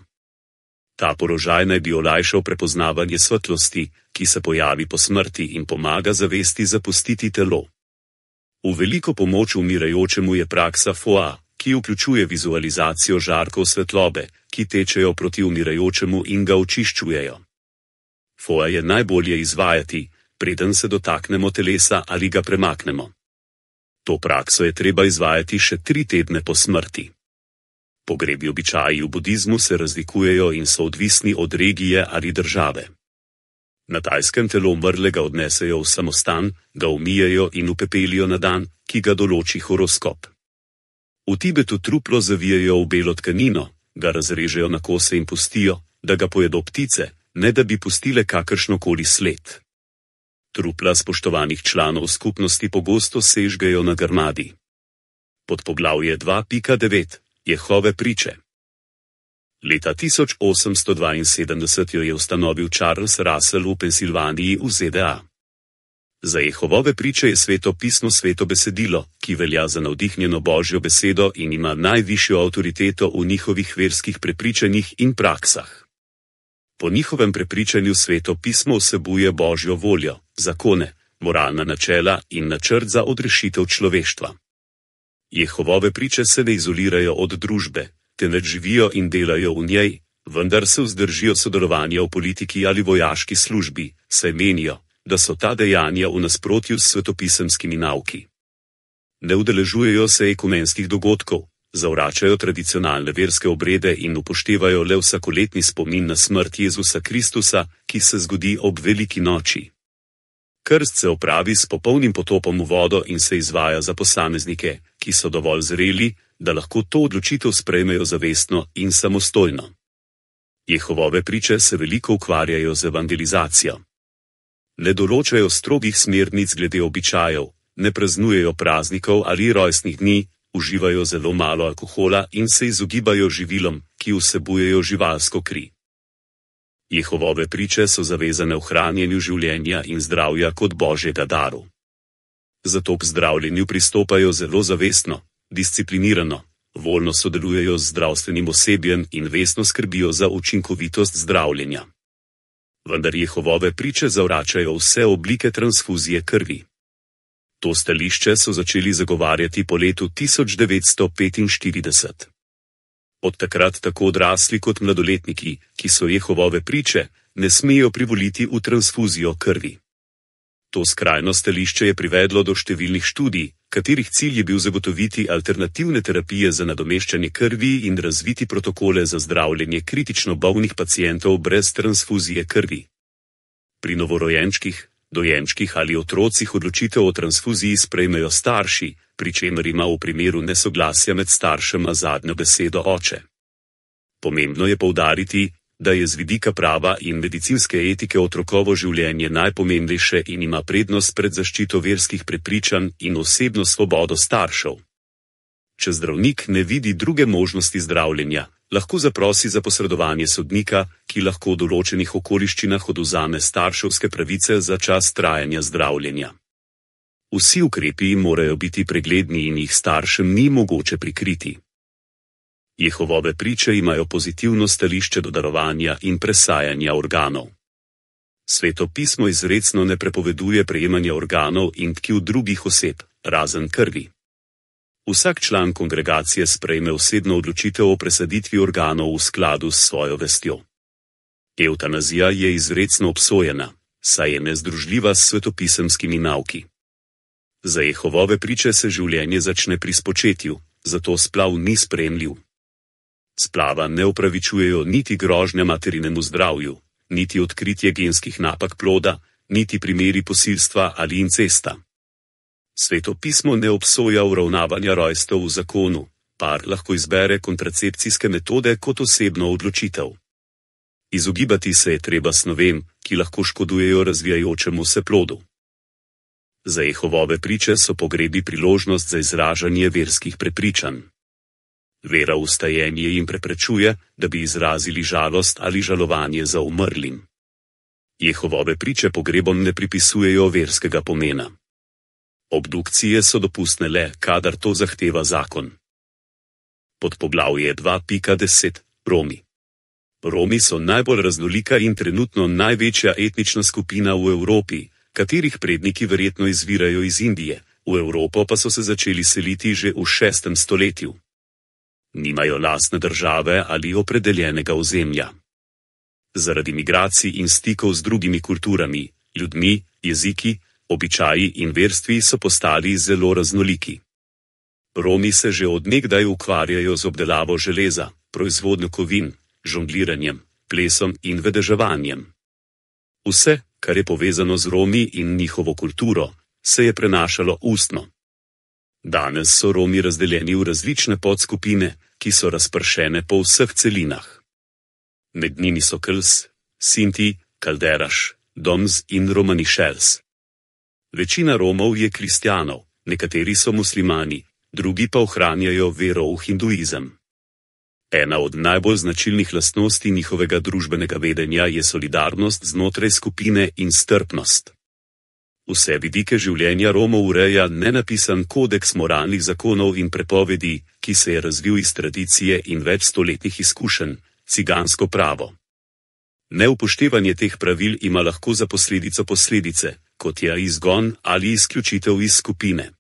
Ta položaj naj bi olajšal prepoznavanje svetlosti, ki se pojavi po smrti in pomaga zavesti zapustiti telo. V veliko pomoč umirajočemu je praksa Foa, ki vključuje vizualizacijo žarkov svetlobe, ki tečejo proti umirajočemu in ga očiščujejo. Foa je najbolje izvajati, preden se dotaknemo telesa ali ga premaknemo. To prakso je treba izvajati še 3 tedne po smrti. Pogrebni običaji v budizmu se razlikujejo in so odvisni od regije ali države. Na Tajskem telo umrlega odnesejo v samostan, ga umijejo in upepelijo na dan, ki ga določi horoskop. V Tibetu truplo zavijejo v belo tkanino, ga razrežejo na kose in pustijo, da ga pojedo ptice, ne da bi pustile kakršnokoli sled. Trupla spoštovanih članov skupnosti pogosto sežgejo na grmadi. Podpoglavje 2.9. Jehove priče. Leta 1872 jo je ustanovil Charles Russell v Pensilvaniji v ZDA. Za Jehovove priče je Sveto pismo sveto besedilo, ki velja za navdihnjeno Božjo besedo in ima najvišjo avtoriteto v njihovih verskih prepričanjih in praksah. Po njihovem prepričanju Sveto pismo vsebuje Božjo voljo, zakone, moralna načela in načrt za odrešitev človeštva. Jehovove priče se ne izolirajo od družbe, temveč živijo in delajo v njej, vendar se vzdržijo sodelovanja v politiki ali vojaški službi, saj menijo, da so ta dejanja v nasprotju s svetopisemskimi nauki. Ne udeležujejo se ekumenskih dogodkov, zavračajo tradicionalne verske obrede in upoštevajo le vsakoletni spomin na smrt Jezusa Kristusa, ki se zgodi ob veliki noči. Krst se opravi s popolnim potopom v vodo in se izvaja za posameznike, ki so dovolj zreli, da lahko to odločitev sprejmejo zavestno in samostojno. Jehovove priče se veliko ukvarjajo z evangelizacijo. Ne določajo strogih smernic glede običajev, ne praznujejo praznikov ali rojstnih dni, uživajo zelo malo alkohola in se izogibajo živilom, ki vsebujejo živalsko kri. Jehovove priče so zavezane ohranjanju življenja in zdravja kot Božjega daru. Zato k zdravljenju pristopajo zelo zavestno, disciplinirano, voljno sodelujejo z zdravstvenim osebjem in vestno skrbijo za učinkovitost zdravljenja. Vendar Jehovove priče zavračajo vse oblike transfuzije krvi. To stališče so začeli zagovarjati po letu 1945. Od takrat tako odrasli kot mladoletniki, ki so Jehovove priče, ne smejo privoliti v transfuzijo krvi. To skrajno stališče je privedlo do številnih študij, katerih cilj je bil zagotoviti alternativne terapije za nadomeščanje krvi in razviti protokole za zdravljenje kritično bolnih pacientov brez transfuzije krvi. Pri novorojenčkih, dojenčkih ali otrocih odločitev o transfuziji sprejmejo starši, pri čemer ima v primeru nesoglasja med staršema zadnjo besedo oče. Pomembno je poudariti, da je z vidika prava in medicinske etike otrokovo življenje najpomembnejše in ima prednost pred zaščito verskih prepričanj in osebno svobodo staršev. Če zdravnik ne vidi druge možnosti zdravljenja, lahko zaprosi za posredovanje sodnika, ki lahko v določenih okoliščinah odvzame starševske pravice za čas trajanja zdravljenja. Vsi ukrepi morajo biti pregledni in jih staršem ni mogoče prikriti. Jehovove priče imajo pozitivno stališče do darovanja in presajanja organov. Sveto pismo izrecno ne prepoveduje prejemanja organov in tkiv drugih oseb, razen krvi. Vsak član kongregacije sprejme osebno odločitev o presaditvi organov v skladu s svojo vestjo. Evtanazija je izrecno obsojena, saj je nezdružljiva s svetopisemskimi nauki. Za Jehovove priče se življenje začne pri spočetju, zato splav ni sprejemljiv. Splava ne opravičujejo niti grožnja materinemu zdravju, niti odkritje genskih napak ploda, niti primeri posilstva ali incesta. Sveto pismo ne obsoja uravnavanja rojstev v zakonu, par lahko izbere kontracepcijske metode kot osebno odločitev. Izogibati se je treba snovem, ki lahko škodujejo razvijajočemu se plodu. Za Jehovove priče so pogrebi priložnost za izražanje verskih prepričanj. Vera v vstajenje jim preprečuje, da bi izrazili žalost ali žalovanje za umrlim. Jehovove priče pogrebom ne pripisujejo verskega pomena. Obdukcije so dopustne le, kadar to zahteva zakon. Podpoglavje 2.10. Romi. Romi so najbolj raznolika in trenutno največja etnična skupina v Evropi, katerih predniki verjetno izvirajo iz Indije, v Evropo pa so se začeli seliti že v 6. stoletju. Nimajo lastne države ali opredeljenega ozemlja. Zaradi migracij in stikov z drugimi kulturami, ljudmi, jeziki, običaji in verstvi so postali zelo raznoliki. Romi se že od nekdaj ukvarjajo z obdelavo železa, proizvodnjo kovin, žongliranjem, plesom in vedeževanjem. Vse, kar je povezano z Romi in njihovo kulturo, se je prenašalo ustno. Danes so Romi razdeljeni v različne podskupine, ki so razpršene po vseh celinah. Med njimi so Kels, Sinti, Kalderaš, Doms in Romanišels. Večina Romov je kristjanov, nekateri so muslimani, drugi pa ohranjajo vero v hinduizem. Ena od najbolj značilnih lastnosti njihovega družbenega vedenja je solidarnost znotraj skupine in strpnost. Vse vidike življenja Romov ureja nenapisan kodeks moralnih zakonov in prepovedi, ki se je razvil iz tradicije in večstoletnih izkušenj, cigansko pravo. Neupoštevanje teh pravil ima lahko za posledico posledice, kot je izgon ali izključitev iz skupine.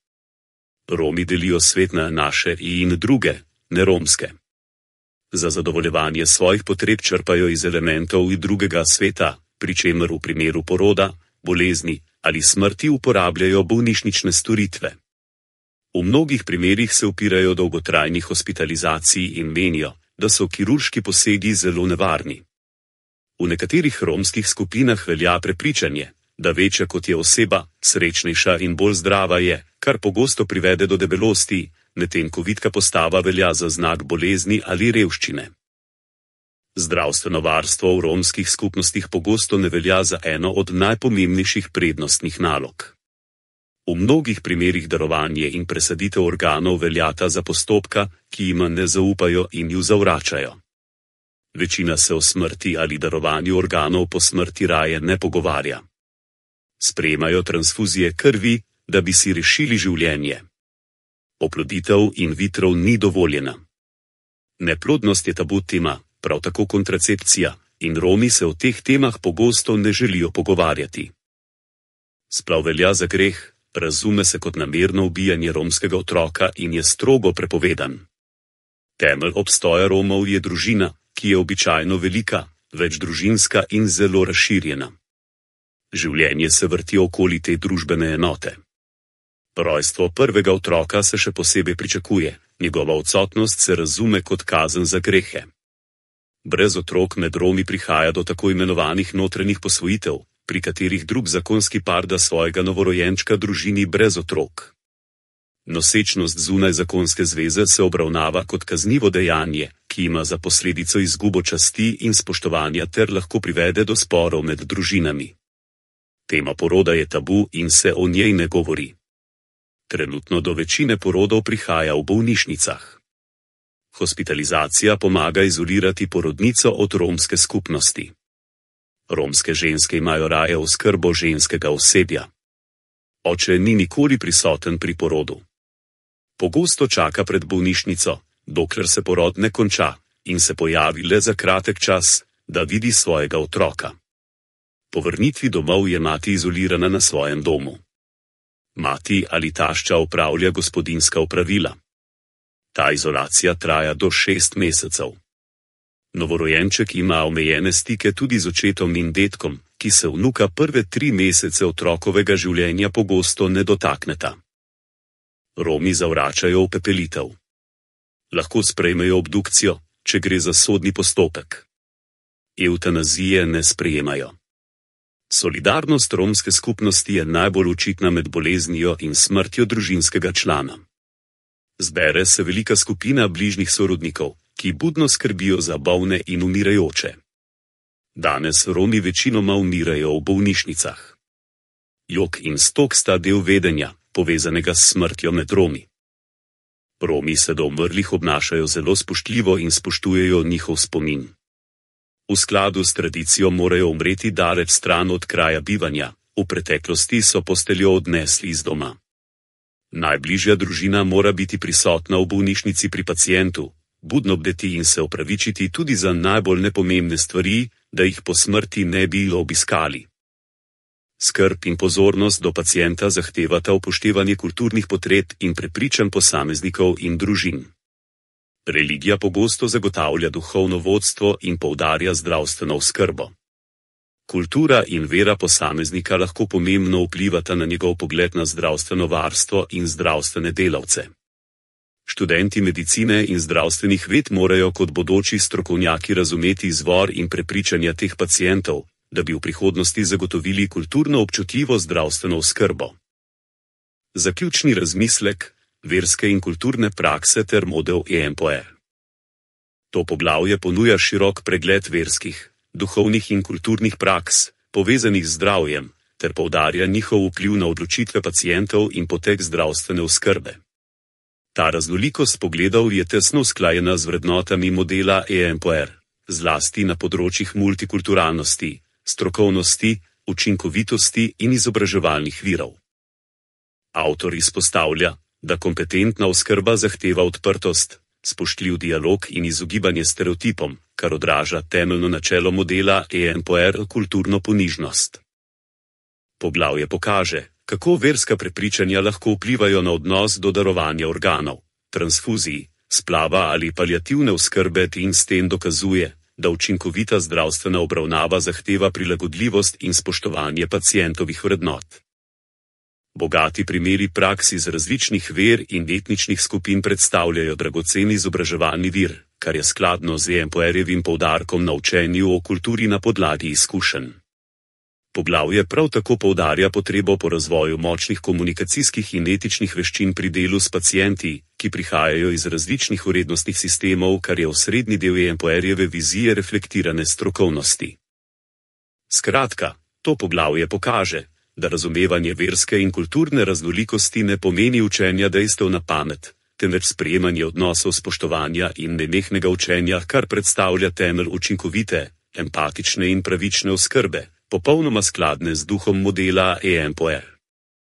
Romi delijo svet na naše in druge, neromske. Za zadovoljevanje svojih potreb črpajo iz elementov drugega sveta, pri čemer v primeru poroda, bolezni ali smrti uporabljajo bolnišnične storitve. V mnogih primerih se upirajo dolgotrajni hospitalizaciji in menijo, da so kirurški posegi zelo nevarni. V nekaterih romskih skupinah velja prepričanje, da večja kot je oseba, srečnejša in bolj zdrava je, kar pogosto privede do debelosti, medtem ko vitka postava velja za znak bolezni ali revščine. Zdravstveno varstvo v romskih skupnostih pogosto ne velja za eno od najpomembnejših prednostnih nalog. V mnogih primerih darovanje in presaditev organov veljata za postopka, ki jima ne zaupajo in ju zavračajo. Večina se o smrti ali darovanju organov po smrti raje ne pogovarja. Sprejemajo transfuzije krvi, da bi si rešili življenje. Oploditev in vitro ni dovoljena. Neplodnost je tabu tema, prav tako kontracepcija, in Romi se o teh temah pogosto ne želijo pogovarjati. Splav velja za greh, razume se kot namerno ubijanje romskega otroka in je strogo prepovedan. Temelj obstoja Romov je družina, ki je običajno velika, večdružinska in zelo razširjena. Življenje se vrti okoli te družbene enote. Rojstvo prvega otroka se še posebej pričakuje, njegova odsotnost se razume kot kazen za grehe. Brez otrok med Romi prihaja do tako imenovanih notranjih posvojitev, pri katerih drug zakonski par da svojega novorojenčka družini brez otrok. Nosečnost zunaj zakonske zveze se obravnava kot kaznivo dejanje, ki ima za posledico izgubo časti in spoštovanja ter lahko privede do sporov med družinami. Tema poroda je tabu in se o njej ne govori. Trenutno do večine porodov prihaja v bolnišnicah. Hospitalizacija pomaga izolirati porodnico od romske skupnosti. Romske ženske imajo raje oskrbo ženskega osebja. Oče ni nikoli prisoten pri porodu. Pogosto čaka pred bolnišnico, dokler se porod ne konča, in se pojavi le za kratek čas, da vidi svojega otroka. Po vrnitvi domov je mati izolirana na svojem domu. Mati ali tašča opravlja gospodinjska opravila. Ta izolacija traja do 6 mesecev. Novorojenček ima omejene stike tudi z očetom in dedkom, ki se vnuka prve 3 mesece otrokovega življenja pogosto ne dotakneta. Romi zavračajo upepelitev. Lahko sprejmejo obdukcijo, če gre za sodni postopek. Evtanazije ne sprejemajo. Solidarnost romske skupnosti je najbolj očitna med boleznijo in smrtjo družinskega člana. Zbere se velika skupina bližnjih sorodnikov, ki budno skrbijo za bolne in umirajoče. Danes Romi večinoma umirajo v bolnišnicah. Jok in stok sta del vedenja, povezanega s smrtjo med Romi. Romi se do umrlih obnašajo zelo spoštljivo in spoštujejo njihov spomin. V skladu s tradicijo morajo umreti daleč stran od kraja bivanja, v preteklosti so posteljo odnesli iz doma. Najbližja družina mora biti prisotna v bolnišnici pri pacientu, budno bdeti in se opravičiti tudi za najbolj nepomembne stvari, da jih po smrti ne bi obiskali. Skrb in pozornost do pacienta zahtevata upoštevanje kulturnih potreb in prepričanj posameznikov in družin. Religija pogosto zagotavlja duhovno vodstvo in poudarja zdravstveno oskrbo. Kultura in vera posameznika lahko pomembno vplivata na njegov pogled na zdravstveno varstvo in zdravstvene delavce. Študenti medicine in zdravstvenih ved morajo kot bodoči strokovnjaki razumeti izvor in prepričanja teh pacientov, da bi v prihodnosti zagotovili kulturno občutljivo zdravstveno oskrbo. Zaključni razmislek: verske in kulturne prakse ter model EMPOE. To poglavje ponuja širok pregled verskih, duhovnih in kulturnih praks, povezanih z zdravjem, ter poudarja njihov vpliv na odločitve pacientov in potek zdravstvene oskrbe. Ta raznolikost pogledov je tesno usklajena z vrednotami modela EMPOR, zlasti na področjih multikulturalnosti, strokovnosti, učinkovitosti in izobraževalnih virov. Avtor izpostavlja, da kompetentna oskrba zahteva odprtost, spoštljiv dialog in izogibanje stereotipom, kar odraža temeljno načelo modela EMPOR kulturno ponižnost. Poglavje pokaže, kako verska prepričanja lahko vplivajo na odnos do darovanja organov, transfuzij, splava ali paliativne oskrbe in s tem dokazuje, da učinkovita zdravstvena obravnava zahteva prilagodljivost in spoštovanje pacientovih vrednot. Bogati primeri praks iz različnih ver in etničnih skupin predstavljajo dragoceni izobraževalni vir, kar je skladno z EMPOR-jevim poudarkom na učenju o kulturi na podlagi izkušenj. Poglavje prav tako poudarja potrebo po razvoju močnih komunikacijskih in etičnih veščin pri delu s pacienti, ki prihajajo iz različnih vrednostnih sistemov, kar je osrednji del EMPOR-jeve vizije reflektirane strokovnosti. Skratka, to poglavje pokaže, da razumevanje verske in kulturne raznolikosti ne pomeni učenja dejstev na pamet, temveč sprejemanje odnosov spoštovanja in nenehnega učenja, kar predstavlja temelj učinkovite, empatične in pravične oskrbe, popolnoma skladne z duhom modela EMPOR.